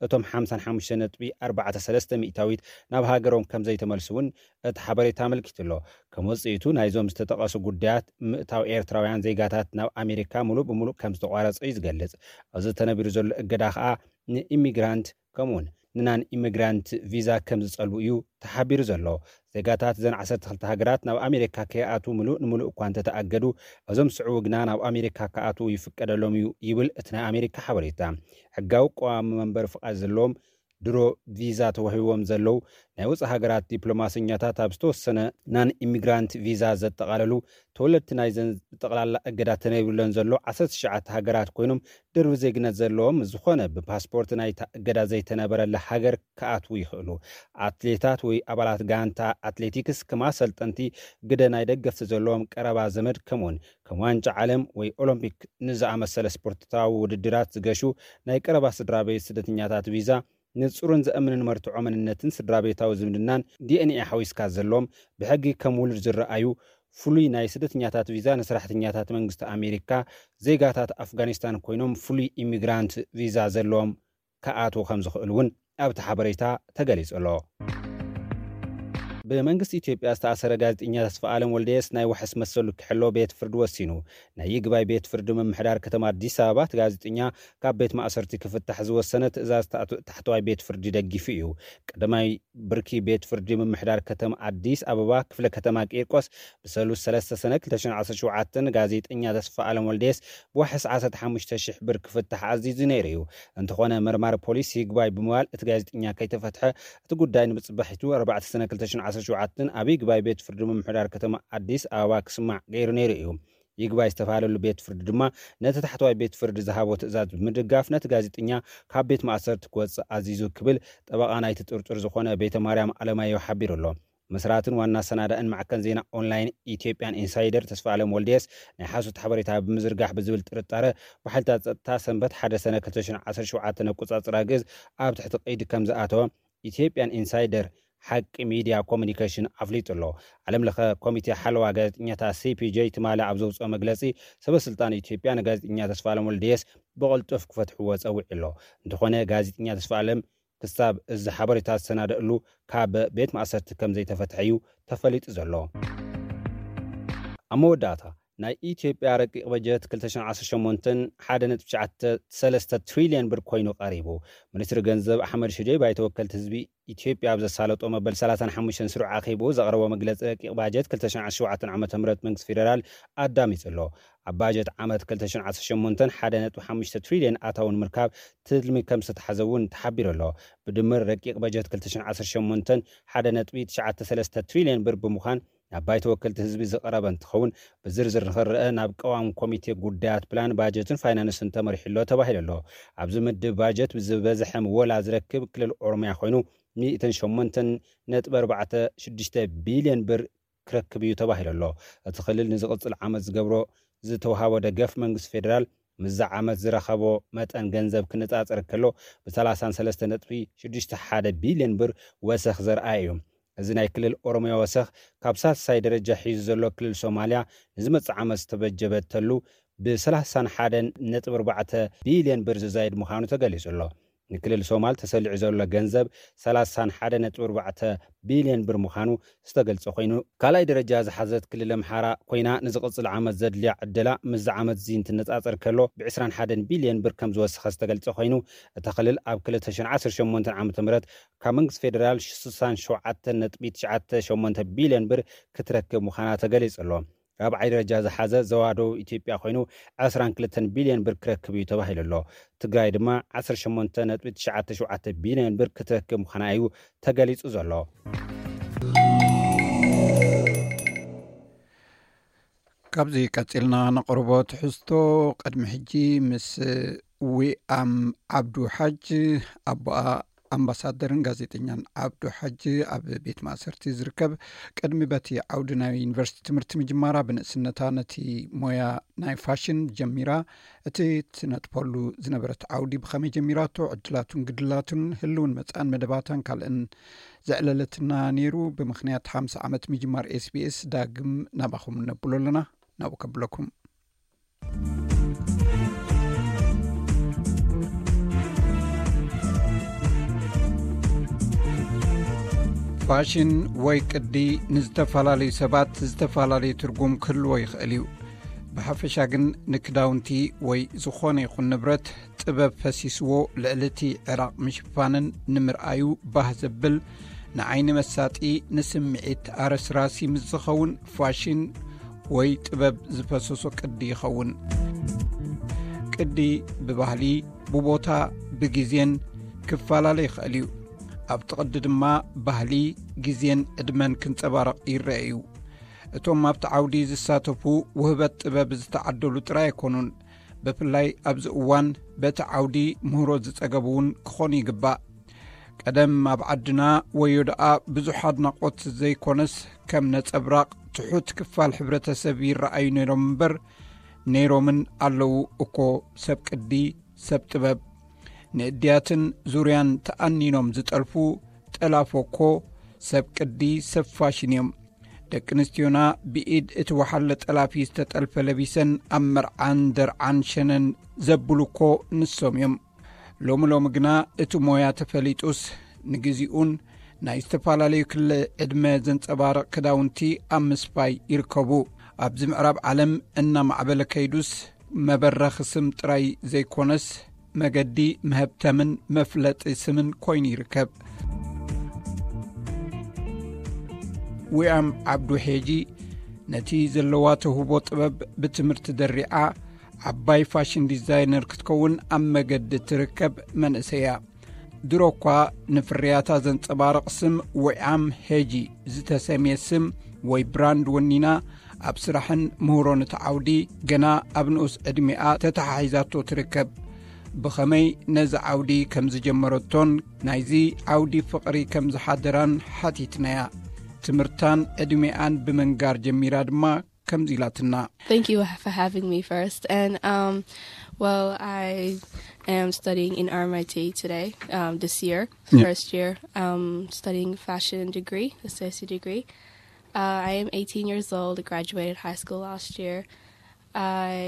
እቶም ሓምሳን ሓሙሽተ ነጥቢ ኣርባዕተ ሰለስተ ሚእታዊት ናብ ሃገሮም ከም ዘይተመልሱ እውን እቲ ሓበሬታ ኣመልኪቱ ኣሎ። ከም ውጽኢቱ ናይዞም ዝተጠቐሱ ጉዳያት ምእታው ኤርትራውያን ዜጋታት ናብ ኣሜሪካ ሙሉእ ብሙሉእ ከም ዝተቋረጸ እዩ ዝገልጽ። እዚ ተነቢሩ ዘሎ እገዳ ከኣ ንኢሚግራንት ከምኡውን ንናን ኢሚግራንት ቪዛ ከም ዝጸልቡ እዩ ተሓቢሩ ዘሎ። ዜጋታት እዘን ዓሰርተ ክልተ ሃገራት ናብ ኣሜሪካ ከይኣትዉ ምሉእ ንምሉእ እኳ እንተተኣገዱ፣ እዞም ዝስዕቡ ግና ናብ ኣሜሪካ ክኣትዉ ይፍቀደሎም እዩ ይብል እቲ ናይ ኣሜሪካ ሓበሬታ። ሕጋዊ ቀዋሚ መንበሪ ፍቓድ ዘለዎም ድሮ ቪዛ ተዋሂብዎም ዘለዉ ናይ ወጻኢ ሃገራት ዲፕሎማሰኛታት ኣብ ዝተወሰነ ናን ኢሚግራንት ቪዛ ዘጠቓለሉ ተወለድቲ ናይዘን ብጠቕላላ እገዳ ተነቢሩለን ዘሎ ዓሰርተ ትሽዓተ ሃገራት ኮይኖም ድርቢ ዜግነት ዘለዎም ዝኾነ ብፓስፖርት ናይታ እገዳ ዘይተነበረላ ሃገር ክኣትዉ ይኽእሉ። ኣትሌታት ወይ ኣባላት ጋንታ ኣትሌቲክስ ከም ኣሰልጠንቲ ግደ ናይ ደገፍቲ ዘለዎም ቀረባ ዘመድ ከምኡውን ከም ዋንጫ ዓለም ወይ ኦሎምፒክ ንዝኣመሰለ ስፖርታዊ ውድድራት ዝገሹ ናይ ቀረባ ስድራ ቤት ስደተኛታት ቪዛ ንጹርን ዘእምንን መርትዖ መንነትን ስድራ ቤታዊ ዝምድናን ዲ ኤን ኤ ሓዊስካ ዘለዎም ብሕጊ ከም ውሉድ ዝረኣዩ ፍሉይ ናይ ስደተኛታት ቪዛ ንሰራሕተኛታት መንግስቲ ኣሜሪካ፣ ዜጋታት ኣፍጋኒስታን ኮይኖም ፍሉይ ኢሚግራንት ቪዛ ዘለዎም ክኣትዉ ከም ዝኽእሉ እውን ኣብቲ ሓበሬታ ተገሊጹ ኣሎ። ብመንግስቲ ኢትዮጵያ ዝተኣሰረ ጋዜጠኛ ተስፋ ኣለም ወልደየስ ናይ ዋሕስ መሰሉ ክሕሎ ቤት ፍርዲ ወሲኑ። ናይ ይግባይ ቤት ፍርዲ ምምሕዳር ከተማ ኣዲስ ኣበባ እቲ ጋዜጠኛ ካብ ቤት ማእሰርቲ ክፍታሕ ዝወሰነ ትእዛዝ ታሕተዋይ ቤት ፍርዲ ደጊፉ እዩ። ቀዳማይ ብርኪ ቤት ፍርዲ ምምሕዳር ከተማ ኣዲስ ኣበባ ክፍለ ከተማ ቂርቆስ ብሰሉስ ሰለስተ ሰነ ክልተ ሽሕን ዓሰርተ ሸውዓተን ጋዜጠኛ ተስፋ ኣለም ወልደየስ ብዋሕስ ዓሰርተ ሓሙሽተ ሽሕ ብር ክፍታሕ ኣዚዙ ነይሩ እዩ። እንተኾነ መርማሪ ፖሊስ ይግባይ ብምባል እቲ ጋዜጠኛ ከይተፈትሐ እቲ ጉዳይ ንብፅባሒቱ ኣርባዕተ ሰነ ክልተ ሽሕን ዓሰርተ ሸውዓተን ኣብ ይግባይ ቤት ፍርዲ ምምሕዳር ከተማ ኣዲስ ኣበባ ክስማዕ ገይሩ ነይሩ እዩ። ይግባይ ዝተባህለሉ ቤት ፍርዲ ድማ ነቲ ታሕተዋይ ቤት ፍርዲ ዝሃቦ ትእዛዝ ብምድጋፍ ነቲ ጋዜጠኛ ካብ ቤት ማእሰርቲ ክወፅእ ኣዚዙ ክብል ጠበቓ ናይቲ ጥርጡር ዝኾነ ቤተ ማርያም ኣለማየሁ ሓቢሩ ኣሎ። መስራትን ዋና ኣሰናዳእን ማዕከን ዜና ኦንላይን ኢትዮጵያን ኢንሳይደር ተስፋ ኣለም ወልደየስ ናይ ሓሶት ሓበሬታ ብምዝርጋሕ ብዝብል ጥርጣረ ብሓይልታት ጸጥታ ሰንበት ሓደ ሰነ ክልተ ሽሕን ዓሰርተ ሸውዓተን ኣቆጻጽራ ግእዝ ኣብ ትሕቲ ቀይዲ ከም ዝኣተወ ኢትዮጵያን ኢንሳይደር ሓቂ ሚድያ ኮሙኒኬሽን ኣፍሊጡ ኣሎ። ዓለም ለኸ ኮሚቴ ሓለዋ ጋዜጠኛታት ሲ ፒ ጄ ትማሊ ኣብ ዘውፅኦ መግለፂ ሰበ ስልጣን ኢትዮጵያ ንጋዜጠኛ ተስፋ ኣለም ወልደየስ ብቕልጡፍ ክፈትሕዎ ጸዊዑ ኣሎ። እንተኾነ ጋዜጠኛ ተስፋ ኣለም ክሳብ እዚ ሓበሬታ ዝሰናደእሉ ካብ ቤት ማእሰርቲ ከም ዘይተፈትሐ እዩ ተፈሊጡ ዘሎ። ኣብ መወዳእታ ናይ ኢትዮጵያ ረቂቕ በጀት ክልተ ሽሕን ዓሰርተ ሸሞንተን ሓደ ነጥቢ ትሽዓተ ሰለስተ ትሪልዮን ብር ኮይኑ ቀሪቡ። ሚኒስትሪ ገንዘብ ኣሕመድ ሽዴ ባይተ ወከልቲ ህዝቢ ኢትዮጵያ ኣብ ዘሳለጦ መበል ሰላሳን ሓሙሽተን ስሩዕ ኣኼብኡ ዘቕረቦ መግለጺ ረቂቕ ባጀት ክልተ ሽሕን ዓሰርተ ሸውዓተን ዓመተ ምህረት መንግስቲ ፌደራል ኣዳሚጹ ኣሎ። ኣብ ባጀት ዓመት ክልተ ሽሕን ዓሰርተ ሸሞንተን ሓደ ነጥቢ ሓሙሽተ ትሪልዮን ኣታዊ ንምርካብ ትልሚ ከም ዝተታሕዘ እውን ተሓቢሩ ኣሎ። ብድምር ረቂቕ በጀት ክልተ ሽሕን ዓሰርተ ሸሞንተን ሓደ ነጥቢ ትሽዓተ ሰለስተ ትሪልዮን ብር ብምዃን ናብ ባይተ ወከልቲ ህዝቢ ዝቐረበ እንትኸውን ብዝርዝር ንኽረአ ናብ ቀዋም ኮሚቴ ጉዳያት ፕላን ባጀትን ፋይናንስን ተመሪሑ ኣሎ ተባሂሉ ኣሎ። ኣብዚ ምድብ ባጀት ብዝበዝሐ ምወላ ዝረክብ ክልል ኦሮሚያ ኮይኑ ሚእትን ሸሞንተን ነጥቢ ኣርባዕተ ሽዱሽተ ቢልዮን ብር ክረክብ እዩ ተባሂሉ ኣሎ። እቲ ክልል ንዝቕጽል ዓመት ዝገብሮ ዝተውሃቦ ደገፍ መንግስቲ ፌደራል ምስዛ ዓመት ዝረኸቦ መጠን ገንዘብ ክነጻጸር ከሎ ብ ሰላሳን ሰለስተ ነጥቢ ሽዱሽተ ሓደ ቢልዮን ብር ወሰኽ ዘርኣየ እዩ። እዚ ናይ ክልል ኦሮሚያ ወሰኽ ካብ ሳልሳይ ደረጃ ሒዙ ዘሎ ክልል ሶማልያ ንዝመጽእ ዓመት ዝተበጀበተሉ ብ ሰላሳን ሓደን ነጥቢ ኣርባዕተ ቢልዮን ብር ዝዛይድ ምዃኑ ተገሊጹ ኣሎ። ንክልል ሶማል ተሰሊዑ ዘሎ ገንዘብ ሰላሳን ሓደ ነጥቢ ኣርባዕተ ቢልዮን ብር ምዃኑ ዝተገልጸ ኮይኑ፣ ካልኣይ ደረጃ ዝሓዘት ክልል ኣምሓራ ኮይና ንዝቕጽል ዓመት ዘድልያ ዕደላ ምስዚ ዓመት እዚ እንትነጻጸር ከሎ ብ ዕስራን ሓደን ቢልዮን ብር ከም ዝወሰኸ ዝተገልጸ ኮይኑ፣ እታ ክልል ኣብ ክልተ ሽሕን ዓሰርተ ሸሞንተን ዓመተ ምህረት ካብ መንግስቲ ፌደራል ስሳን ሸውዓተን ነጥቢ ትሽዓተ ሸሞንተ ቢልዮን ብር ክትረክብ ምዃና ተገሊጹ ኣሎ። ራብዓይ ደረጃ ዝሓዘ ዞባ ደቡብ ኢትዮጵያ ኮይኑ ዕስራን ክልተን ቢልዮን ብር ክረክብ እዩ ተባሂሉ ኣሎ። ትግራይ ድማ ዓሰርተ ሸሞንተ ነጥቢ ትሽዓተ ሸውዓተ ቢልዮን ብር ክትረክብ ምዃና እዩ ተገሊጹ ዘሎ። ካብዚ ቀጺልና ነቕርቦ ትሕዝቶ። ቅድሚ ሕጂ ምስ ዊኣም ዓብዱ ሓጅ ኣቦኣ ኣምባሳደርን ጋዜጠኛን ዓብዱ ሓጅ ኣብ ቤት ማእሰርቲ ዝርከብ ቅድሚ በቲ ዓውዲ ናይ ዩኒቨርሲቲ ትምህርቲ ምጅማራ ብንእስነታ ነቲ ሞያ ናይ ፋሽን ጀሚራ እቲ ትነጥፈሉ ዝነበረት ዓውዲ ብኸመይ ጀሚራቶ ዕድላቱን ግድላቱን ህልውን መጻእን መደባታን ካልእን ዘዕለለትና ነይሩ። ብምኽንያት ሓምሳ ዓመት ምጅማር ኤስቢኤስ ዳግም ናባኹም ነብሎ ኣለና። ናብኡ ከብለኩም። ፋሽን ወይ ቅዲ ንዝተፈላለዩ ሰባት ዝተፈላለየ ትርጉም ክህልዎ ይኽእል እዩ። ብሓፈሻ ግን ንክዳውንቲ ወይ ዝኾነ ይኹን ንብረት ጥበብ ፈሲስዎ ልዕሊ እቲ ዕራቕ ምሽፋንን ንምርኣዩ ባህ ዘብል ንዓይኒ መሳጢ ንስምዒት ኣረስራሲ ምስ ዝኸውን ፋሽን ወይ ጥበብ ዝፈሰሶ ቅዲ ይኸውን። ቅዲ ብባህሊ ብቦታ ብግዜን ክፈላለ ይኽእል እዩ። ኣብቲ ቅዲ ድማ ባህሊ ግዜን ዕድመን ክንጸባረቕ ይረአ እዩ። እቶም ኣብቲ ዓውዲ ዝሳተፉ ውህበት ጥበብ ዝተዓደሉ ጥራይ ኣይኮኑን። ብፍላይ ኣብዚ እዋን በቲ ዓውዲ ምህሮ ዝጸገቡ እውን ክኾኑ ይግባእ። ቀደም ኣብ ዓድና ወዮ ደኣ ብዙሕ ኣድናቖት ዘይኮነስ ከም ነጸብራቕ ትሑት ክፋል ሕብረተሰብ ይረኣዩ ነይሮም እምበር ነይሮምን ኣለዉ እኮ ሰብ ቅዲ ሰብ ጥበብ። ንእድያትን ዙርያን ተኣኒኖም ዝጠልፉ ጠላፎ እኮ ሰብ ቅዲ ሰብ ፋሽን እዮም። ደቂ ኣንስትዮና ብኢድ እቲ ወሓለ ጠላፊ ዝተጠልፈ ለቢሰን ኣብ መርዓን ደርዓን ሸነን ዘብሉ እኮ ንሶም እዮም። ሎሚ ሎሚ ግና እቲ ሞያ ተፈሊጡስ፣ ንግዚኡን ናይ ዝተፈላለዩ ክሊ ዕድመ ዘንጸባርቕ ክዳውንቲ ኣብ ምስፋይ ይርከቡ። ኣብዚ ምዕራብ ዓለም እናማዕበለ ከይዱስ፣ መበረኺ ስም ጥራይ ዘይኮነስ፣ መገዲ መሀብተምን መፍለጢ ስምን ኮይኑ ይርከብ። ዊኣም ዓብዱ ሄጂ ነቲ ዘለዋ ተውህቦ ጥበብ ብትምህርቲ ደሪዓ፣ ዓባይ ፋሽን ዲዛይነር ክትከውን ኣብ መገዲ ትርከብ መንእሰይ እያ። ድሮ እኳ ንፍርያታ ዘንጸባርቕ ስም ዊኣም ሄጂ ዝተሰምየ ስም ወይ ብራንድ ወኒና ኣብ ስራሕን ምህሮን እቲ ዓውዲ ገና ኣብ ንኡስ ዕድሜኣ ተተሓሒዛቶ ትርከብ። ብኸመይ ነዚ ዓውዲ ከም ዝጀመረቶን ናይዚ ዓውዲ ፍቕሪ ከም ዝሓደራን ሓቲትናያ። ትምህርታን ዕድሜኣን ብምንጋር ጀሚራ ድማ ከምዚ ኢላትና። Thank you for having me first. And um, well, I am studying in R M I T today, um, this year, Yeah. first year, um, studying fashion degree, associate degree. Uh, I am eighteen years old, graduated high school last year. I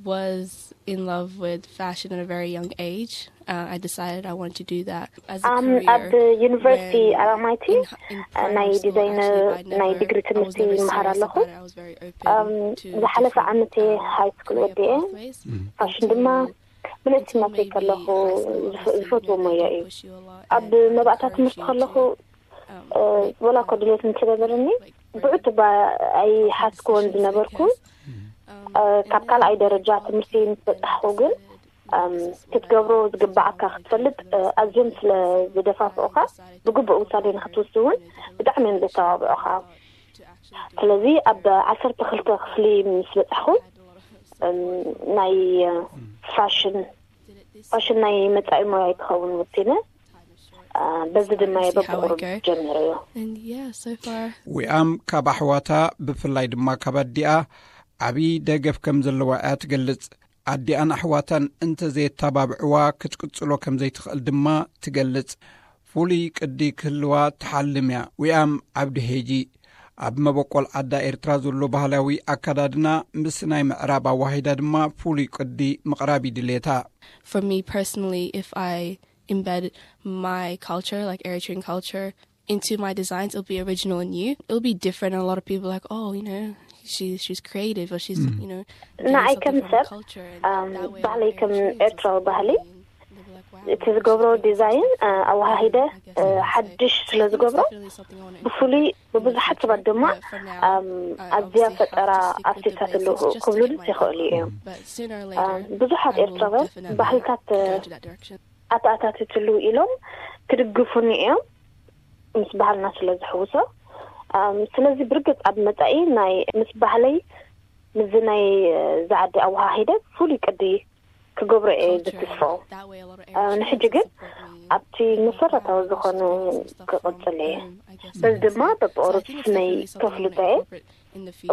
was in love with fashion at a very young age. Uh, I decided I wanted to do that as a Um, career. ኣብ ዩኒቨርሲቲ When ኣራማይቲ in, in primary ናይ school, ዲዛይነር actually, I'd ናይ never- ዲግሪ I was ትምህርቲ never ይመሃር serious ኣለኹ። about it. I was very open Um, to ዝሓለፈ different, ዓመት um, ሃይ ስኩል career ወዲኤ pathways. ፋሽን ድማ ብነቲ ማትሪክ ከለኹ ዝፈ- ዝፈትዎ ሞያ እዩ። ኣብ መባእታ ትምህርቲ ከለኹ እ፣ ወላ እኮ ድሌት እንተነበረኒ ብዕቱብ ኣይሓስክዎን ዝነበርኩ። እ፣ ካብ ካልኣይ ደረጃ ትምህርቲ ምስ በጻሕኩ ግን እም፣ ክትገብሮ ዝግባኣካ ክትፈልጥ እ፣ ኣዝዮም ስለ ዝደፋፍኡኻ፣ ብግቡእ ውሳኔ ንክትወስድ እውን ብጣዕሚ እዮም ዘተባብዑኻ። ስለዚ ኣብ ዓሰርተ ክልተ ክፍሊ ምስ በጻሕኩ እም፣ ናይ እ፣ ፋሽን ፋሽን ናይ መጻኢ ሞያ ይትኸውን ወሲነ። እ፣ በዚ ድማ እየ See how I በብቑሩብ go. ጀሚረዮ። And yeah, so far. ዊኣም ካብ ኣሕዋታ ብፍላይ ድማ ካብ ኣዲኣ ዓብዪ ደገፍ ከም ዘለዋ እያ ትገልጽ። ኣዲኣን ኣሕዋታን እንተዘየተባብዕዋ ክትቅጽሎ ከም ዘይትኽእል ድማ ትገልጽ። ፍሉይ ቅዲ ክህልዋ ትሓልም እያ። ዊኣም ዓብዲ ሄጂ ኣብ መበቆል ዓዳ ኤርትራ ዘሎ ባህላዊ ኣከዳድና ምስ ናይ ምዕራብ ኣዋሂዳ ድማ ፍሉይ ቅዲ ምቕራብ ይድሌታ። For me personally, if I embed my culture, like Eritrean culture, into my designs, it'll be original and new. It'll be different, and a lot of people are like, oh, you know, she she's creative, or she's you know, doing ንዓይ something ከም from her ሰብ culture, um, and that way ባህለይ ከም ኤርትራዊ ባህሊ they'll be like, wow, እቲ ዝገብሮ ዲዛይን እ፣ ኣወሃሂደ እ፣ ሓድሽ ስለ ዝገብሮ ብፍሉይ ብብዙሓት ሰባት ድማ ኣም፣ ኣዝያ ፈጠራ ኣፍሪካ ትልኡ ክብሉ ይኽእሉ እዮም። ኣም፣ ብዙሓት ኤርትራውያን ባህልታት እ፣ ኣተኣታትትሉ ኢሎም ክድግፉኒ እዮም ምስ ባህልና ስለ ዝሕውሶ። ኣም፣ ስለዚ ብርግጽ ኣብ መጻኢ ናይ ምስ ባህለይ ምስዚ ናይ እ፣ ዝዓዲ ኣወሃሂደ ፍሉይ ቅዲ ክገብሮ እየ ዝትስፎ። እ፣ ንሕጂ ግን ኣብቲ መሰረታዊ ዝኾነ ክቕጽል እየ። በዚ ድማ በብቑሩብ ስመይ ከፍልጦ እየ።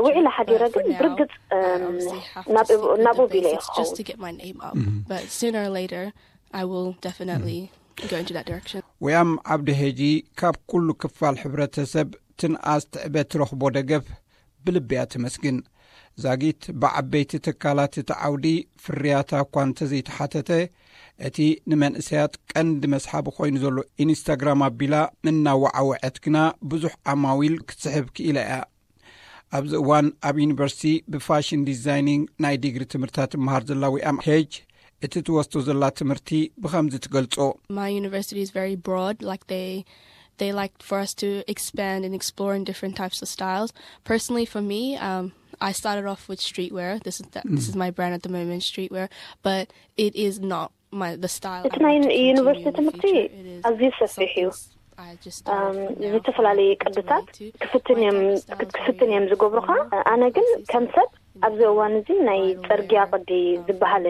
ውዒለ ሓዲረ ግን ብርግጽ እም፣ ናብ ናብኡ ቢለ እየ ክኸውን። But sooner or later, I will definitely go into that direction. ወያም ዓብዲ ሄጂ ካብ ኩሉ ክፋል ሕብረተሰብ ትንኣስ ትዕበ ትረኽቦ ደገፍ ብልቢ እያ ተመስግን። ዛጊት ብዓበይቲ ትካላት እቲ ዓውዲ ፍርያታ እኳ እንተዘይተሓተተ፣ እቲ ንመንእሰያት ቀንዲ መስሓቢ ኮይኑ ዘሎ ኢንስታግራም ኣቢላ እናወዓወዐት ግና ብዙሕ ዓማዊል ክትስሕብ ክኢላ እያ። ኣብዚ እዋን ኣብ ዩኒቨርሲቲ ብፋሽን ዲዛይኒንግ ናይ ዲግሪ ትምህርታት ትመሃር ዘላ ዊኣም ሄጅ እቲ ትወስዶ ዘላ ትምህርቲ ብኸምዚ ትገልጾ። My university is very broad. Like they, they like for us to expand and explore in different types of styles. Personally, for me, um, I started off with streetwear. This is the, this is my brand at the moment, streetwear. But it is not my the style. እቲ ናይ ዩኒቨርሲቲ ትምህርቲ ኣዝዩ ሰፊሕ እዩ። ዝተፈላለዩ ቅድታት ክፍትን እዮም ክትፍትን እዮም ዝገብሩኻ። ኣነ ግን ከም ሰብ ኣብዚ እዋን እዚ ናይ ጽርግያ ቅዲ ዝበሃል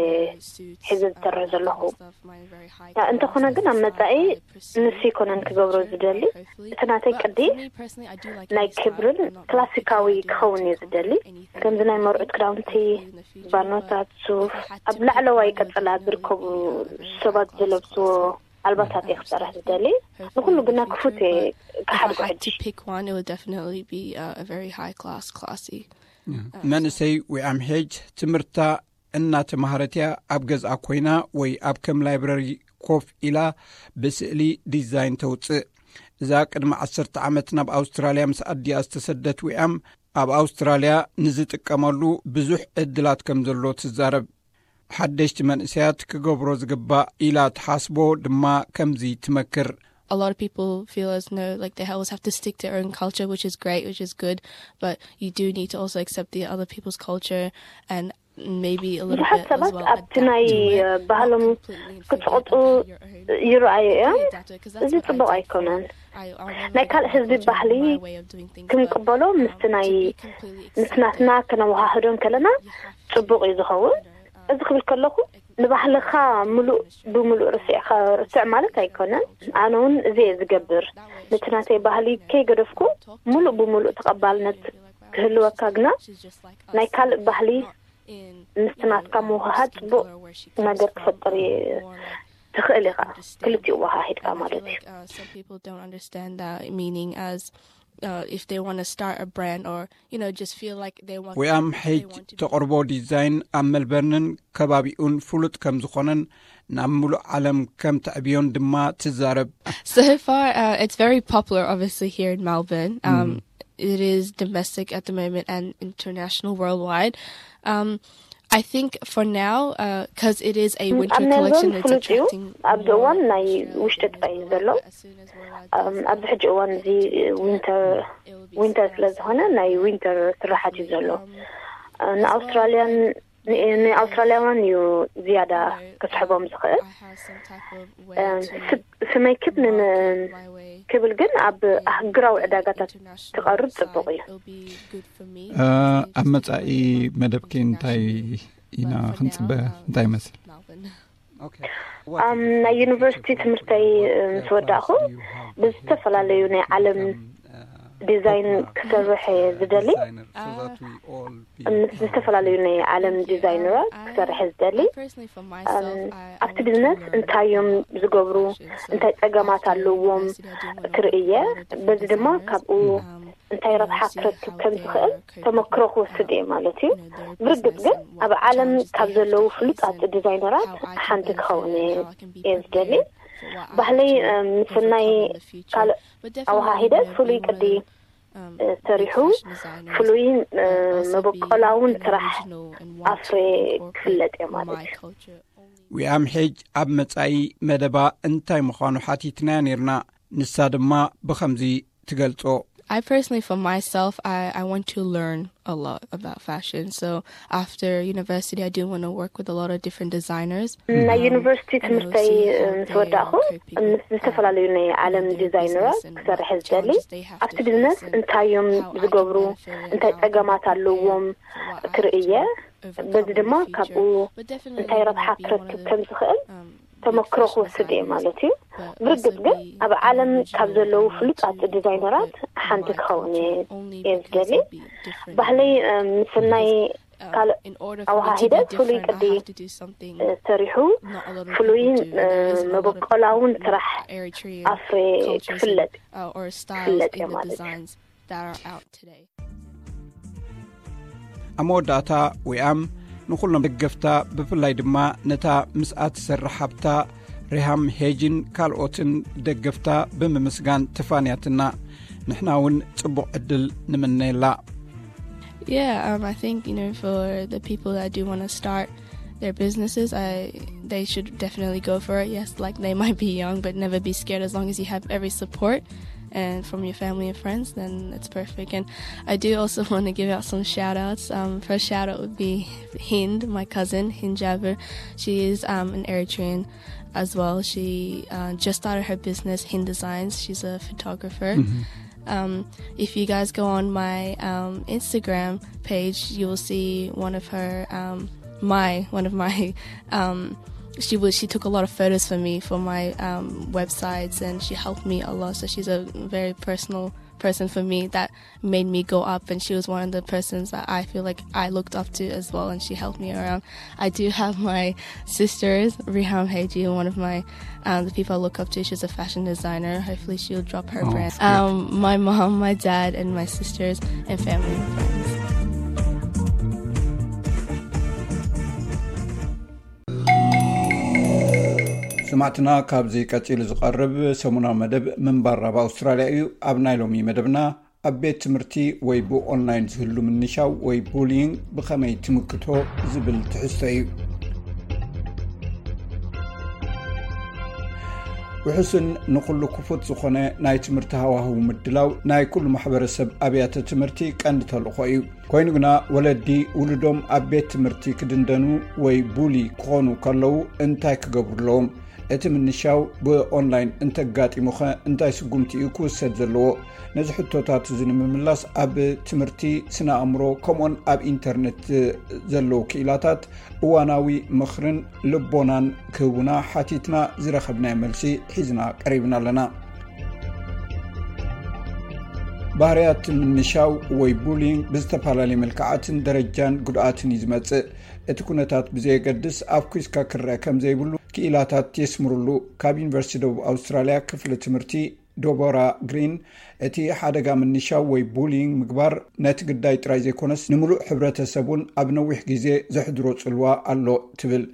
ሒዘ ዝሰርሕ ዘለኹ። እንተኾነ ግን ኣብ መጻኢ ንሱ ይኮነን ክገብሮ ዝደሊ። እቲ ናተይ ቅዲ ናይ ክብርን ክላሲካዊ ክኸውን እየ ዝደሊ። ከምዚ ናይ መርዑት ክዳውንቲ፣ ባኖታት፣ ሱፍ፣ ኣብ ላዕለዋይ ቀጸላ ዝርከቡ ሰባት ዝለብስዎ ኣልባሳት እየ ክሰርሕ ዝደሊ። ንኩሉ ግና ክፉት እየ ክሓድጎ ሕጂ። Pick one, it would definitely be uh, a very high class, classy. መንእሰይ ዊኣም ሄጅ ትምህርታ እናተማሃረት እያ። ኣብ ገዝኣ ኮይና ወይ ኣብ ከም ላይብረሪ ኮፍ ኢላ ብስእሊ ዲዛይን ተውፅእ። እዛ ቅድሚ ዓሰርተ ዓመት ናብ ኣውስትራልያ ምስ ኣዲኣ ዝተሰደት ዊኣም ኣብ ኣውስትራልያ ንዝጥቀመሉ ብዙሕ ዕድላት ከም ዘሎ ትዛረብ። ሓደሽቲ መንእሰያት ክገብሮ ዝግባእ ኢላ ትሓስቦ ድማ ከምዚ ትመክር። A lot of people feel as though like they always have to stick to their own culture, which is great, which is good, but you do need to also accept the other people's culture and maybe a little ብዙሓት bit as ሰባት well ኣብቲ ናይ adapt to it. ባህሎም Completely and forget ክፅቕጡ about your own ይረኣዩ እዮም። Adapt to it, 'cause that's እዚ what I ፅቡቅ did. ኣይኮነን። I- I'll never ናይ ካልእ forget my ህዝቢ culture, ባህሊ my way of doing things, but ክንቅበሎ ምስቲ ናይ to be completely ምስ ናትና accepted, ከነወሃህዶ እንከለና you have to ፅቡቅ እዩ ዝኸውን። እዚ ክብል ከለኹ ንባህልኻ ምሉእ ብምሉእ ርስዕኻ ርስዕ ማለት ኣይኮነን። ኣነ እውን እዚ እየ ዝገብር። ነቲ ናተይ ባህሊ ከይገደፍኩ ምሉእ ብምሉእ ተቐባልነት ክህልወካ ግና ናይ ካልእ ባህሊ ምስቲ ናትካ ምውሃሃድ ፅቡቅ ነገር ክፈጥር ትኽእል ኢኻ። ክልቲኡ ወሃሂድካ ማለት እዩ። Some people don't understand that meaning as uh, if they want to start a brand or you know just feel like they want. ዊኣም ሄጅ ተቕርቦ ዲዛይን ኣብ መልበርንን ከባቢኡን ፍሉጥ ከም ዝኾነን ናብ ምሉእ ዓለም ከም ተዕብዮን ድማ ትዛረብ። So far, uh, it's very popular, obviously, here in Melbourne. Um, it is domestic at the moment and international, worldwide. Um, I think for now, because it is a winter ኣብ ሜልበርን collection, it's ፍሉጥ እዩ። attracting ኣብዚ more እዋን ናይ Australians ውሽጢ as ጥራይ እዩ well, ዘሎ። but as soon as we're allowed እም፣ ኣብዚ ሕጂ እዋን እዚ ዊንተር ዊንተር ስለ ዝኾነ ናይ ዊንተር ስራሓት እዩ ዘሎ። ንኣውስትራልያን ንኣውስትራልያውያን እዩ ዝያዳ ክስሕቦም ዝኽእል። ስመይ ክብ ክብል ግን ኣብ ኣህግራዊ ዕዳጋታት ክቐርብ ጽቡቕ እዩ። ኣብ መጻኢ መደብኪ እንታይ ኢና ክንጽበ? እንታይ ይመስል? ናይ ዩኒቨርሲቲ ትምህርተይ ምስ ወዳእኹ ብዝተፈላለዩ ናይ ዓለም ዲዛይን ክሰርሕ ዝደሊ ምስ ዝተፈላለዩ ናይ ዓለም ዲዛይነራት ክሰርሕ ዝደሊ ኣብቲ ቢዝነስ እንታይ እዮም ዝገብሩ፣ እንታይ ጸገማት ኣለዎም ክርኢ እየ። በዚ ድማ ካብኡ እንታይ ረብሓ ክረክብ ከም ዝኽእል ተመክሮ ክወስድ እየ ማለት እዩ። ብርግጽ ግን ኣብ ዓለም ካብ ዘለዉ ፍሉጣት ዲዛይነራት ሓንቲ ክኸውን እየ ዝደሊ። ባህለይ ምስናይ ካልእ ኣወሃሂደ ፍሉይ ቅዲ ሰሪሑ ፍሉይ መበቆላውን ስራሕ ኣፍሬ ክፍለጥ እየ ማለት እዩ። ዊኣም ሄጅ ኣብ መጻኢ መደባ እንታይ ምዃኑ ሓቲትናያ ነይርና። ንሳ ድማ ብኸምዚ ትገልጾ። I personally, for myself, I, I want to learn a lot about fashion. So after university, I do want to work with a lot of different designers. ናይ ዩኒቨርሲቲ ትምህርተይ ምስ ወዳእኹ ምስ ዝተፈላለዩ ናይ ዓለም ዲዛይነራት ክሰርሕ ዝደሊ ኣብቲ ቢዝነስ እንታይ እዮም ዝገብሩ፣ እንታይ ጸገማት ኣለዎም ክርኢ እየ። በዚ ድማ ካብኡ እንታይ ረብሓ ክረክብ ከም ዝኽእል ተመክሮ ክወስድ እየ ማለት እዩ። ብርግጽ ግን ኣብ ዓለም ካብ ዘለዉ ፍሉጣት ዲዛይነራት ሓንቲ ክኸውን እየ ዝደሊ። ባህለይ ምስናይ ካልእ ኣወሃሂደ ፍሉይ ቅዲ ሰሪሑ ፍሉይ መበቆላውን ስራሕ ኣፍሬ ክፍለጥ ክፍለጥ እየ ማለት እዩ። That are out today. ኣብ መወዳእታ ዊኣም ንኹሎም ደገፍታ ብፍላይ ድማ ነታ ምስኣ ትሰርሕ ሓብታ ሪሃም ሄጅን ካልኦትን ደገፍታ ብምምስጋን ትፋንያትና። ንሕና እውን ጽቡቕ ዕድል ንምነየላ። Yeah, um, I think you know for the people that do want to start their businesses, I they should definitely go for it. Yes, like they might be young, but never be scared. As long as you have every support and from your family and friends, then it's perfect. And I do also want to give out some shout outs. Um, first shout out would be Hind, my cousin, Hind Jabir. She is um, an Eritrean as well. She uh, just started her business, Hind Designs. She's a photographer. Um, if you guys go on my um, Instagram page, you will see one of her, um, my, one of my um, she was she took a lot of photos for me for my um, websites, and she helped me a lot. So she's a very personal person for me that made me go up, and she was one of the persons that I feel like I looked up to as well, and she helped me around. I do have my sisters, Riham Heiji, one of my um, the people I look up to. She's a fashion designer. Hopefully she'll drop her Oh, brand. Great. Um, my mom, my dad, and my sisters and family and friends. ስማዕትና፣ ካብዚ ቀጺሉ ዝቐርብ ሰሙናዊ መደብ ምንባር ኣብ ኣውስትራልያ እዩ። ኣብ ናይ ሎሚ መደብና፣ ኣብ ቤት ትምህርቲ ወይ ብኦንላይን ዝህሉ ምንሻው ወይ ቡሊንግ ብኸመይ ትምክቶ ዝብል ትሕዝቶ እዩ። ውሑስን ንኹሉ ክፉት ዝኾነ ናይ ትምህርቲ ሃዋህው ምድላው ናይ ኩሉ ማሕበረሰብ ኣብያተ ትምህርቲ ቀንዲ ተልእኾ እዩ። ኮይኑ ግና፣ ወለዲ ውሉዶም ኣብ ቤት ትምህርቲ ክድንደኑ ወይ ቡሊ ክኾኑ ከለዉ እንታይ ክገብሩ ኣለዎም? እቲ ምንሻው ብኦንላይን እንተጋጢሙኸ እንታይ ስጉምቲ እዩ ክውሰድ ዘለዎ? ነዚ ሕቶታት እዚ ንምምላስ፣ ኣብ ትምህርቲ፣ ስነ ኣእምሮ፣ ከምኡን ኣብ ኢንተርነት ዘለዉ ክኢላታት እዋናዊ ምኽርን ልቦናን ክህቡና ሓቲትና ዝረኸብናዮ መልሲ ሒዝና ቀሪብና ኣለና። ባህርያት ምንሻው ወይ ቡሊንግ ብዝተፈላለየ መልክዓትን ደረጃን ጉድኣትን እዩ ዝመጽእ። እቲ ኩነታት ብዘየገድስ፣ ኣፍኲስካ ክረአ ከም ዘይብሉ ክኢላታት የስምሩሉ። ካብ ዩኒቨርሲቲ ደቡብ ኣውስትራልያ ክፍሊ ትምህርቲ ዶቦራ ግሪን፣ እቲ ሓደጋ ምንሻው ወይ ቡሊንግ ምግባር ነቲ ግዳይ ጥራይ ዘይኮነስ፣ ንምሉእ ሕብረተሰብ እውን ኣብ ነዊሕ ግዜ ዘሕድሮ ጽልዋ ኣሎ ትብል።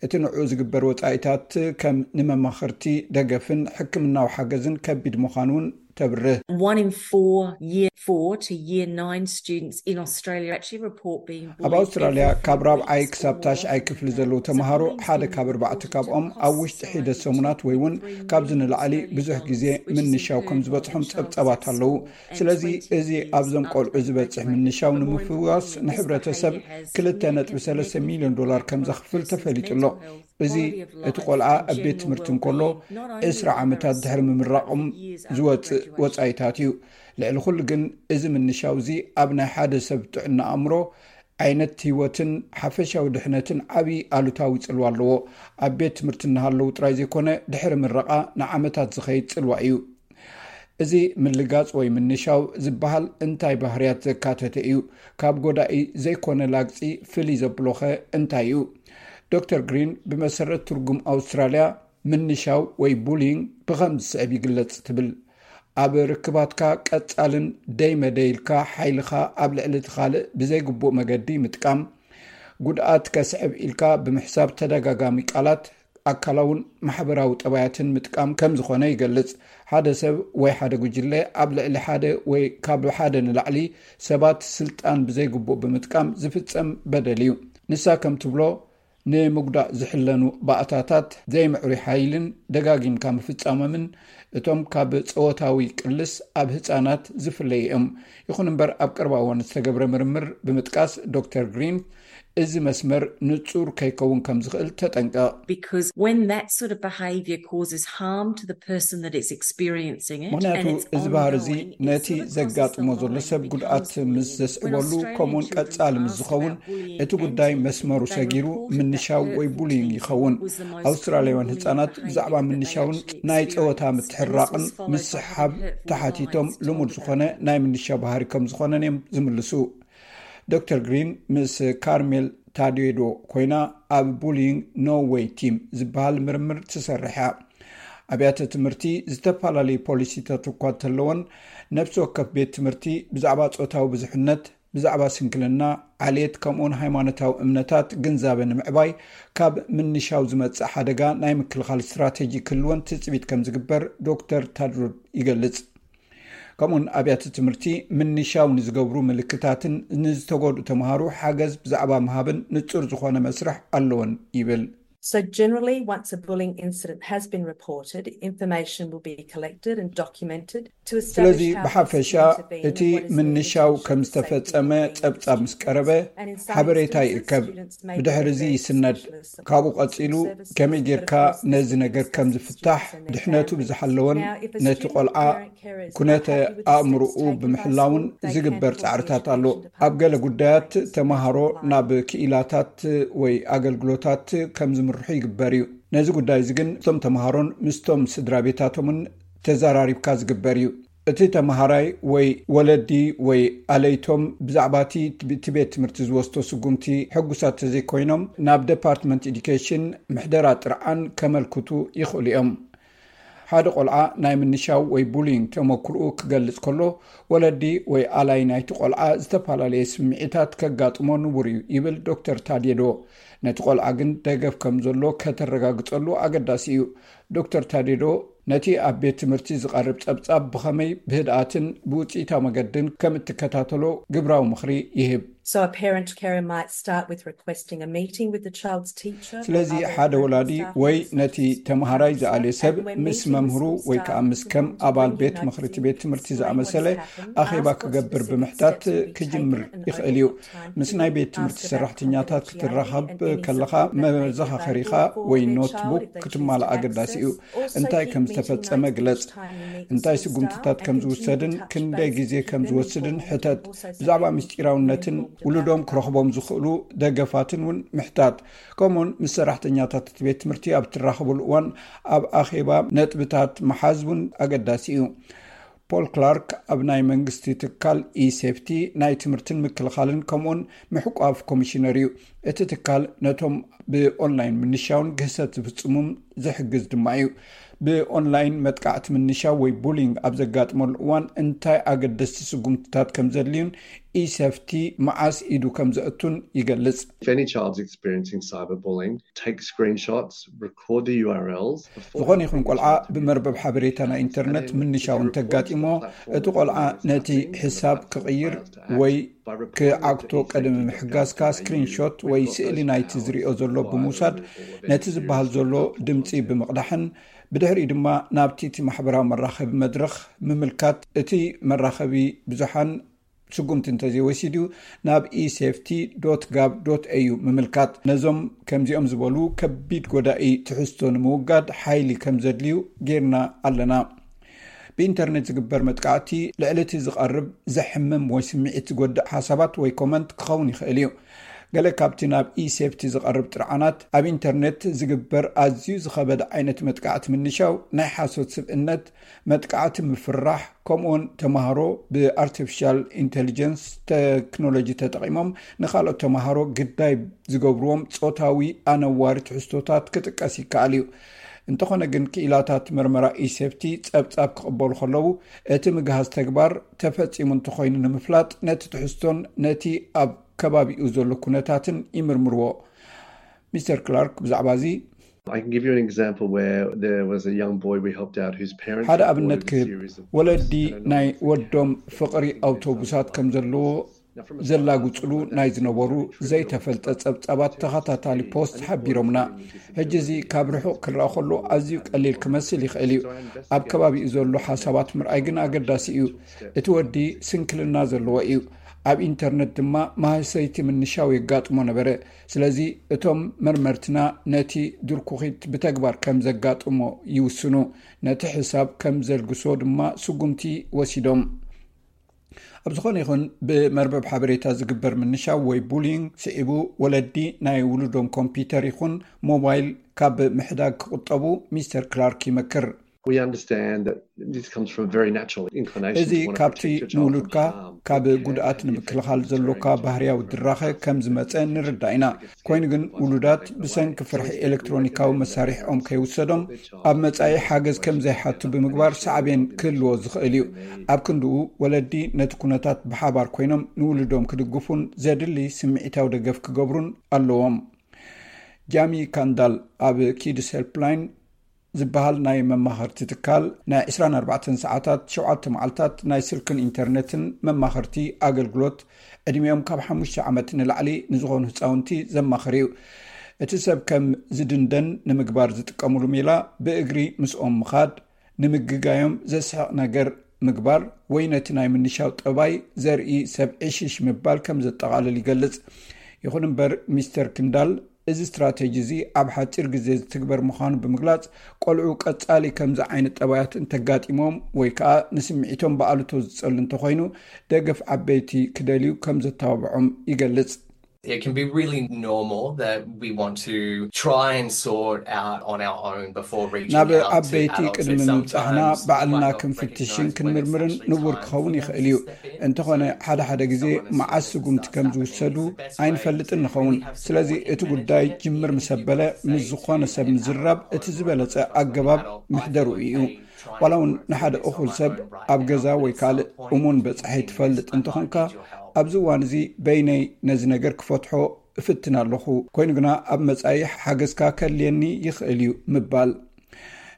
እቲ ንዕኡ ዝግበር ወጻኢታት፣ ከም ንመማኽርቲ፣ ደገፍን ሕክምናዊ ሓገዝን ከቢድ ምዃኑ እውን ተብርህ። One in four year four to year nine students in Australia actually report being bullied ኣብ ኣውስትራልያ፣ every ካብ few ራብዓይ weeks ክሳብ or ታሽዓይ more. ክፍሊ ዘለዉ ተምሃሮ ሓደ ካብ ኣርባዕተ ካብኦም ኣብ ውሽጢ ሒደት ሰሙናት ወይ እውን ካብዚ ንላዕሊ ብዙሕ ግዜ ምንሻው ከም ዝበጽሖም ጸብጻባት ኣለዉ። ስለዚ፣ እዚ ኣብዞም ቆልዑ ዝበጽሕ ምንሻው ንምፍዋስ ንሕብረተሰብ ክልተ ነጥቢ ሰለስተ ሚልዮን ዶላር ከም ዘኽፍል ተፈሊጡ ኣሎ። እዚ፣ እቲ ቆልዓ ኣብ ቤት ትምህርቲ እንከሎ ዕስራ ዓመታት ድሕሪ ምምራቖም ዝወጽእ ወጻኢታት እዩ። ልዕሊ ኩሉ ግን፣ እዚ ምንሻው እዚ ኣብ ናይ ሓደ ሰብ ጥዕና ኣእምሮ፣ ዓይነት ህይወትን ሓፈሻዊ ድሕነትን ዓቢ ኣሉታዊ ጽልዋ ኣለዎ። ኣብ ቤት ትምህርቲ እናሃለዉ ጥራይ ዘይኮነ፣ ድሕሪ ምረቓ ንዓመታት ዝኸይድ ጽልዋ እዩ። እዚ ምልጋጽ ወይ ምንሻው ዝበሃል እንታይ ባህርያት ዘካተተ እዩ? ካብ ጎዳኢ ዘይኮነ ላግጺ ፍልይ ዘብሎኸ እንታይ እዩ? ዶክተር ግሪን፣ ብመሰረት ትርጉም ኣውስትራልያ፣ ምንሻው ወይ ቡሊንግ ብኸም ዝስዕብ ይግለጽ ትብል። ኣብ ርክባትካ ቀጻልን ደይ መደይ ኢልካ ሓይልኻ ኣብ ልዕሊ እቲ ካልእ ብዘይግቡእ መገዲ ምጥቃም፣ ጉድኣት ከስዕብ ኢልካ ብምሕሳብ ተደጋጋሚ ቃላት፣ ኣካላውን ማሕበራዊ ጠባያትን ምጥቃም ከም ዝኾነ ይገልጽ። ሓደ ሰብ ወይ ሓደ ጉጅለ ኣብ ልዕሊ ሓደ ወይ ካብ ሓደ ንላዕሊ ሰባት ስልጣን ብዘይግቡእ ብምጥቃም ዝፍጸም በደል እዩ። ንሳ ከም ትብሎ፣ ንምጉዳእ ዝሕለኑ ባእታታት ዘይምዕሩይ ሓይልን ደጋጊምካ ምፍጻሞምን፣ እቶም ካብ ጸወታዊ ቅልስ ኣብ ህጻናት ዝፍለዩ እዮም። ይኹን እምበር፣ ኣብ ቀረባ እዋን ዝተገብረ ምርምር ብምጥቃስ፣ ዶክተር ግሪን፣ እዚ መስመር ንጹር ከይከውን ከም ዝኽእል ተጠንቀቕ። Because when that sort of behaviour causes harm to the person that is experiencing it, ምኽንያቱ፣ and it's እዚ ባህሪ እዚ ongoing, it ነቲ sort of crosses ዘጋጥሞ the ዘሎ line ሰብ and ጉድኣት becomes bullying. ምስ When ዘስዕበሉ፣ Australian ከምኡውን children ቀጻሊ ምስ asked ዝኸውን፣ about bullying እቲ and ጉዳይ teasing, መስመሩ they ሰጊሩ reported that ምንሻው ወይ hurting ቡሊንግ teasing ይኸውን። was the most ኣውስትራልያውያን common ህጻናት behaviour ብዛዕባ that they ምንሻውን actually ናይ ጸወታ experienced. And this ምትሕራቕን was followed by ምስሕሓብ the hurtful ተሓቲቶም lines told ልሙድ about ዝኾነ ናይ ምንሻው ባህሪ ከም ዝኾነን እዮም ዝምልሱ። ዶክተር ግሪን ምስ ካርሜል ታዴዶ ኮይና ኣብ ቡሊንግ ኖ ዌይ ቲም ዝበሃል ምርምር ትሰርሕ እያ። ኣብያተ ትምህርቲ ዝተፈላለዩ ፖሊሲታት እኳ እንተለወን፣ ነፍሲ ወከፍ ቤት ትምህርቲ ብዛዕባ ጾታዊ ብዙሕነት፣ ብዛዕባ ስንክልና፣ ዓሌት፣ ከምኡውን ሃይማኖታዊ እምነታት ግንዛበ ንምዕባይ፣ ካብ ምንሻው ዝመጽእ ሓደጋ ናይ ምክልኻል ስትራተጂ ክህልወን ትጽቢት ከም ዝግበር ዶክተር ታድሮድ ይገልጽ። ከምኡውን ኣብያተ ትምህርቲ ምንሻው ንዝገብሩ ምልክታትን ንዝተጎድኡ ተምሃሮ ሓገዝ ብዛዕባ ምሃብን ንጹር ዝኾነ መስርሕ ኣለወን ይብል። So generally, once a bullying incident has been reported, information will be collected and documented to ስለዚ establish how ብሓፈሻ best to intervene እቲ and what is needed to ምንሻው ensure ከም the safety of ዝተፈጸመ bullying ጸብጻብ ምስ ቀረበ And in some ሓበሬታ instances, ይእከብ። students may be ብድሕሪ እዚ referred to ይስነድ። specialists and ካብኡ support ቀጺሉ services, ከመይ but ጌርካ of course this ነዚ is ነገር for ከም specific ዝፍታሕ students and their ድሕነቱ families. ብዝሓለወን Now, if a ነቲ student, ቆልዓ parent, carer is ኩነተ unhappy with the ኣእምሮኡ steps taken by ብምሕላውን school, they can ዝግበር call the ጻዕርታት education ኣሎ። department ኣብ ገለ to ጉዳያት raise ተምሃሮ complaints. ናብ ክኢላታት ወይ ኣገልግሎታት ከም ዝምርኮ ክሰርሑ ይግበር እዩ። ነዚ ጉዳይ እዚ ግን ምስቶም ተምሃሮን ምስቶም ስድራ ቤታቶምን ተዘራሪብካ ዝግበር እዩ። እቲ ተምሃራይ ወይ ወለዲ ወይ ኣለይቶም ብዛዕባ እቲ እቲ ቤት ትምህርቲ ዝወስዶ ስጉምቲ ሕጉሳት ተዘይኮይኖም ናብ ዴፓርትመንት ኤዱኬሽን ምሕደራ ጥርዓን ከመልክቱ ይኽእሉ እዮም። ሓደ ቆልዓ ናይ ምንሻው ወይ ቡሊንግ ተመክርኡ ክገልጽ ከሎ፣ ወለዲ ወይ ኣላይ ናይቲ ቆልዓ ዝተፈላለየ ስምዒታት ከጋጥሞ ንቡር እዩ ይብል ዶክተር ታዴዶ። ነቲ ቆልዓ ግን ደገፍ ከም ዘሎ ከተረጋግጸሉ ኣገዳሲ እዩ። ዶክተር ታዴዶ ነቲ ኣብ ቤት ትምህርቲ ዝቐርብ ጸብጻብ ብኸመይ ብህድኣትን ብውጽኢታዊ መገድን ከም እትከታተሎ ግብራዊ ምኽሪ ይህብ። So a parent carer might start with requesting a meeting with the child's teacher. ስለዚ ሓደ ወላዲ ወይ ነቲ ተምሃራይ ዝኣልየ ሰብ ምስ መምህሩ ወይ ከዓ ምስ ከም ኣባል ቤት ምኽሪ እቲ ቤት ትምህርቲ ዝኣመሰለ ኣኼባ ክገብር ብምሕታት ክጅምር ይኽእል እዩ። ምስ ናይ ቤት ትምህርቲ ሰራሕተኛታት ክትራኸብ ከለኻ መዘኻኸሪኻ ወይ ኖትቡክ ክትማልእ ኣገዳሲ እዩ። እንታይ ከም ዝተፈጸመ ግለጽ። እንታይ ስጉምትታት ከም ዝውሰድን ክንደይ ግዜ ከም ዝወስድን ሕተት። ብዛዕባ ምስጢራውነትን ውሉዶም ክረኽቦም ዝኽእሉ ደገፋትን እውን ምሕታት። ከምኡውን ምስ ሰራሕተኛታት እቲ ቤት ትምህርቲ ኣብ እትራኸብሉ እዋን ኣብ ኣኼባ ነጥብታት ምሓዝ እውን ኣገዳሲ እዩ። ፖል ክላርክ ኣብ ናይ መንግስቲ ትካል ኢሴፍቲ ናይ ትምህርትን ምክልኻልን ከምኡውን ምሕቋፍ ኮሚሽነር እዩ። እቲ ትካል ነቶም ብኦንላይን ምንሻውን ግህሰት ዝፍጽሙም ዝሕግዝ ድማ እዩ። ብኦንላይን መጥቃዕቲ ምንሻው ወይ ቡሊንግ ኣብ ዘጋጥመሉ እዋን እንታይ ኣገደስቲ ስጉምትታት ከም ዘድልዩን ኢሰፍቲ መዓስ ኢዱ ከም ዘእቱን ይገልጽ። If any child's experiencing cyberbullying, take screenshots, record the U R Ls. ዝኾነ ይኹን ቆልዓ ብመርበብ ሓበሬታ ናይ ኢንተርነት ምንሻው እንተጋጢሞ፣ እቲ ቆልዓ ነቲ ሕሳብ ክቕይር ወይ ክዓግቶ ቀደም ምሕጋዝካ ስክሪንሾት ወይ ስእሊ ናይቲ ዝሪኦ ዘሎ ብምውሳድ ነቲ ዝበሃል ዘሎ ድምፂ ብምቕዳሕን ብድሕሪኡ ድማ ናብቲ እቲ ማሕበራዊ መራኸቢ መድረኽ ምምልካት። እቲ መራኸቢ ብዙሓን ስጉምቲ እንተዘይወሲዱ ናብ ኢሴፍቲ ዶት ጋቭ ዶት ኤዩ ምምልካት። ነዞም ከምዚኦም ዝበሉ ከቢድ ጎዳኢ ትሕዝቶ ንምውጋድ ሓይሊ ከም ዘድልዩ ጌርና ኣለና። ብኢንተርኔት ዝግበር መጥቃዕቲ ልዕሊ እቲ ዝቐርብ ዘሕምም ወይ ስምዒት ዝጎድእ ሓሳባት ወይ ኮመንት ክኸውን ይኽእል እዩ። ገለ ካብቲ ናብ ኢሴፍቲ ዝቐርብ ጥርዓናት ኣብ ኢንተርኔት ዝግበር ኣዝዩ ዝኸበደ ዓይነት መጥቃዕቲ ምንሻው፣ ናይ ሓሶት ስብእነት፣ መጥቃዕቲ ምፍርራሕ፣ ከምኡውን ተምሃሮ ብኣርቲፊሻል ኢንተሊጀንስ ቴክኖሎጂ ተጠቒሞም ንኻልኦት ተምሃሮ ግዳይ ዝገብርዎም ጾታዊ ኣነዋሪ ትሕዝቶታት ክጥቀስ ይከኣል እዩ። እንተኾነ ግን ክኢላታት መርመራ ኢሴፍቲ ጸብጻብ ክቕበሉ ከለዉ እቲ ምግሃስ ተግባር ተፈጺሙ እንተኾይኑ ንምፍላጥ ነቲ ትሕዝቶን ነቲ ኣብ ከባቢኡ ዘሎ ኩነታትን ይምርምርዎ። ሚስተር ክላርክ ብዛዕባ እዚ I can give you an example where there was a young boy we helped out whose parents ሓደ ኣብነት ክህብ፣ ወለዲ ናይ ወዶም ፍቕሪ ኣውቶቡሳት ከም ዘለዎ ዘላግጽሉ ናይ ዝነበሩ ዘይተፈልጠ ጸብጻባት ተኸታታሊ ፖስት ሓቢሮምና። ሕጂ እዚ ካብ ርሑቕ ክረኣ ከሎ ኣዝዩ ቀሊል ክመስል ይኽእል እዩ። ኣብ ከባቢኡ ዘሎ ሓሳባት ምርኣይ ግን ኣገዳሲ እዩ። እቲ ወዲ ስንክልና ዘለዎ እዩ። ኣብ ኢንተርነት ድማ ማህሰይቲ ምንሻው የጋጥሞ ነበረ። ስለዚ እቶም መርመርትና ነቲ ድርኩኺት ብተግባር ከም ዘጋጥሞ ይውስኑ። ነቲ ሕሳብ ከም ዘልግሶ ድማ ስጉምቲ ወሲዶም። ኣብ ዝኾነ ይኹን ብመርበብ ሓበሬታ ዝግበር ምንሻው ወይ ቡሊንግ ስዒቡ ወለዲ ናይ ውሉዶም ኮምፒውተር ይኹን ሞባይል ካብ ምሕዳግ ክቑጠቡ ሚስተር ክላርክ ይመክር። We understand that this comes from a very natural inclination እዚ ካብቲ ንውሉድካ ካብ ጉድኣት ንምክልኻል ዘሎካ ባህርያዊ ድራኸ ከም ዝመጸ ንርዳእ ኢና። ኮይኑ ግን ውሉዳት ብሰንኪ ፍርሒ ኤሌክትሮኒካዊ መሳርሒኦም ከይውሰዶም ኣብ መጻኢ ሓገዝ ከም ዘይሓቱ ብምግባር ሳዕቤን ክህልዎ ዝኽእል እዩ። ኣብ ክንድኡ ወለዲ ነቲ ኩነታት ብሓባር ኮይኖም ንውሉዶም ክድግፉን ዘድሊ ስምዒታዊ ደገፍ ክገብሩን ኣለዎም። ጃሚ ካንዳል ኣብ ኪድስ ሄልፕላይን ዝበሃል ናይ መማኸርቲ ትካል ናይ ዕስራን ኣርባዕተን ሰዓታት ሸውዓተ መዓልታት ናይ ስልክን ኢንተርነትን መማኸርቲ ኣገልግሎት ዕድሚኦም ካብ ሓሙሽተ ዓመት ንላዕሊ ንዝኾኑ ህፃውንቲ ዘማኽር እዩ። እቲ ሰብ ከም ዝድንደን ንምግባር ዝጥቀምሉ ሜላ ብእግሪ ምስኦም ምኻድ፣ ንምግጋዮም ዘስሕቕ ነገር ምግባር ወይ ነቲ ናይ ምንሻው ጠባይ ዘርኢ ሰብ ዕሽሽ ምባል ከም ዘጠቓልል ይገልጽ። ይኹን እምበር ሚስተር ክንዳል እዚ ስትራተጂ እዚ ኣብ ሓጺር ግዜ ዝትግበር ምዃኑ ብምግላጽ፣ ቆልዑ ቀጻሊ ከምዚ ዓይነት ጠባያት እንተጋጢሞም ወይ ከኣ ንስምዒቶም ብኣሉቶ ዝጸሉ እንተኾይኑ ደገፍ ዓበይቲ ክደልዩ ከም ዘተባብዖም ይገልጽ። It can be really normal that we want to try and sort out on our own before reaching ናብ out to ዓበይቲ adults. ቅድሚ ምብጻሕና ባዕልና ክንፍትሽን ክንምርምርን ንቡር ክኸውን ይኽእል እዩ። እንተኾነ ሓደ ሓደ ግዜ መዓስ ስጉምቲ ከም ዝውሰዱ ኣይንፈልጥን ንኸውን። ስለዚ እቲ ጉዳይ ጅምር ምስ ኣበለ ምስ ዝኾነ ሰብ ምዝራብ እቲ ዝበለጸ ኣገባብ ምሕደሩ እዩ። ዋላ እውን ንሓደ እኹል ሰብ ኣብ ገዛ ወይ ካልእ እሙን በጻሒ ትፈልጥ እንተኾንካ፣ ኣብዚ እዋን እዚ በይነይ ነዚ ነገር ክፈትሖ እፍትን ኣለኹ፣ ኮይኑ ግና ኣብ መጻኢ ሓገዝካ ከድልየኒ ይኽእል እዩ ምባል።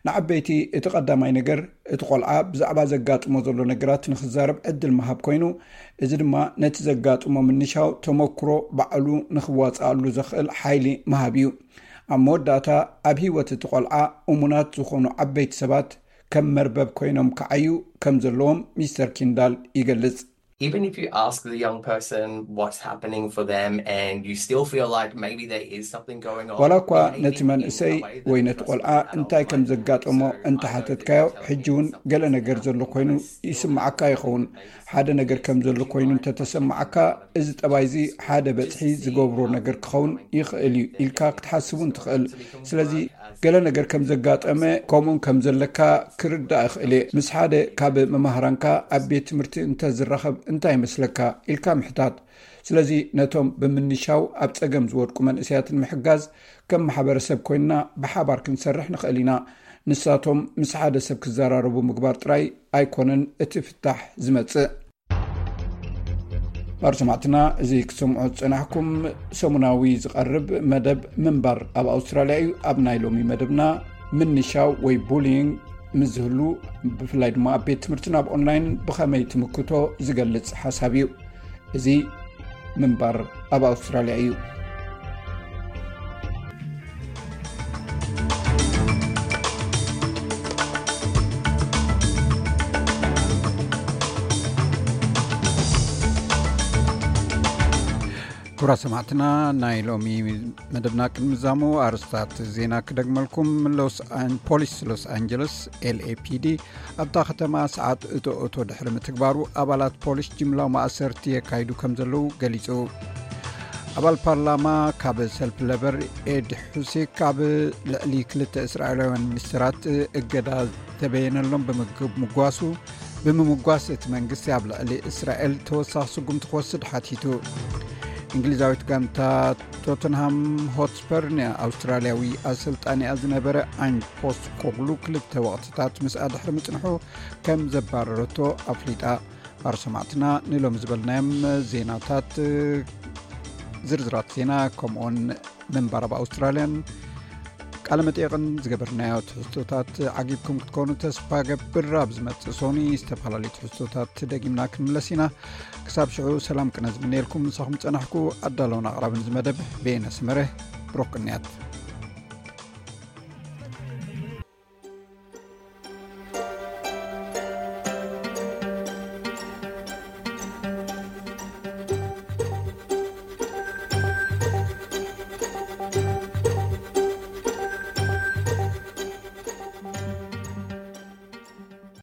ንዓበይቲ እቲ ቀዳማይ ነገር እቲ ቆልዓ ብዛዕባ ዘጋጥሞ ዘሎ ነገራት ንክዛረብ ዕድል ምሃብ ኮይኑ፣ እዚ ድማ ነቲ ዘጋጥሞ ምንሻው ተመክሮ ባዕሉ ንክዋጽኣሉ ዘኽእል ሓይሊ ምሃብ እዩ። ኣብ መወዳእታ ኣብ ህይወት እቲ ቆልዓ እሙናት ዝኾኑ ዓበይቲ ሰባት ከም መርበብ ኮይኖም ክዓዩ ከም ዘለዎም ሚስተር ኪንዳል ይገልጽ። Even if you ask the young person what's happening for them and you still feel like maybe there is something going on, ዋላ እኳ ነቲ መንእሰይ ወይ ነቲ ቆልዓ እንታይ ከም ዘጋጠሞ እንተሓተትካዮ፣ ሕጂ እውን ገለ ነገር ዘሎ ኮይኑ ይስምዓካ ይኸውን። ሓደ ነገር ከም ዘሎ ኮይኑ እንተተሰማዓካ፣ እዚ ጠባይ እዚ ሓደ በጽሒ ዝገብሮ ነገር ክኸውን ይኽእል እዩ ኢልካ ክትሓስብ እውን ትኽእል። ስለዚ ገለ ነገር ከም ዘጋጠመ ከምኡን ከም ዘለካ ክርዳእ እኽእል እየ። ምስ ሓደ ካብ መማህራንካ ኣብ ቤት ትምህርቲ እንተ ዝራኸብ እንታይ ይመስለካ ኢልካ ምሕታት። ስለዚ ነቶም ብምንሻው ኣብ ጸገም ዝወድቁ መንእሰያት ንምሕጋዝ ከም ማሕበረሰብ ኮይንና ብሓባር ክንሰርሕ ንኽእል ኢና። ንሳቶም ምስ ሓደ ሰብ ክዘራረቡ ምግባር ጥራይ ኣይኮነን እቲ ፍታሕ ዝመጽእ። ባር ሰማዕትና፣ እዚ ክትሰምዑ ዝጸናሕኩም ሰሙናዊ ዝቐርብ መደብ ምንባር ኣብ ኣውስትራልያ እዩ። ኣብ ናይ ሎሚ መደብና ምንሻው ወይ ቡሊንግ ምስ ዝህሉ፣ ብፍላይ ድማ ኣብ ቤት ትምህርትን ኣብ ኦንላይን ብኸመይ ትምክቶ ዝገልጽ ሓሳብ እዩ። እዚ ምንባር ኣብ ኣውስትራልያ እዩ። ክቡራት ሰማዕትና፣ ናይ ሎሚ መደብና ቅድሚ ዛሙ ኣርስታት ዜና ክደግመልኩም። ሎስ ኣን-፣ ፖሊስ ሎስ ኣንጀለስ፣ ኤል ኤ ፒ ዲ፣ ኣብታ ከተማ ሰዓት እቶ እቶ ድሕሪ ምትግባሩ ኣባላት ፖሊስ ጅምላዊ ማእሰርቲ የካይዱ ከም ዘለዉ ገሊጹ። ኣባል ፓርላማ ካብ ሰልፊ ለበር ኤድ ሑሴክ ኣብ ልዕሊ ክልተ እስራኤላውያን ሚኒስተራት እገዳ ዝተበየነሎም ብምግ-፣ ምጓሱ፣ ብምምጓስ እቲ መንግስቲ ኣብ ልዕሊ እስራኤል ተወሳኺ ስጉምቲ ክወስድ ሓቲቱ። እንግሊዛዊት ጋንታ ቶተንሃም ሆትስፐር ንኣውስትራልያዊ ኣሰልጣኒኣ ዝነበረ ኣንጅ ፖስት ኮግሉ ክልተ ወቕትታት ምስኣ ድሕሪ ምጽንሑ ከም ዘባረረቶ ኣፍሊጣ። ባር ሰማዕትና፣ ንሎሚ ዝበልናዮም ዜናታት፣ ዝርዝራት ዜና ከምኡውን ምንባር ኣብ ኣውስትራልያን ቃለ መጠየቕን ዝገበርናዮ ትሕዝቶታት ዓጊብኩም ክትኮኑ ተስፋ ገብር። ኣብ ዝመጽእ ሶኒ ዝተፈላለዩ ትሕዝቶታት ደጊምና ክንምለስ ኢና። ክሳብ ሽዑ ሰላም ቅነ ዝምነየልኩም ምሳኹም ጸናሕኩ። ኣዳለውን ኣቕራብን እዚ መደብ ቤነ ስመረ። ብሩኽ ቅንያት።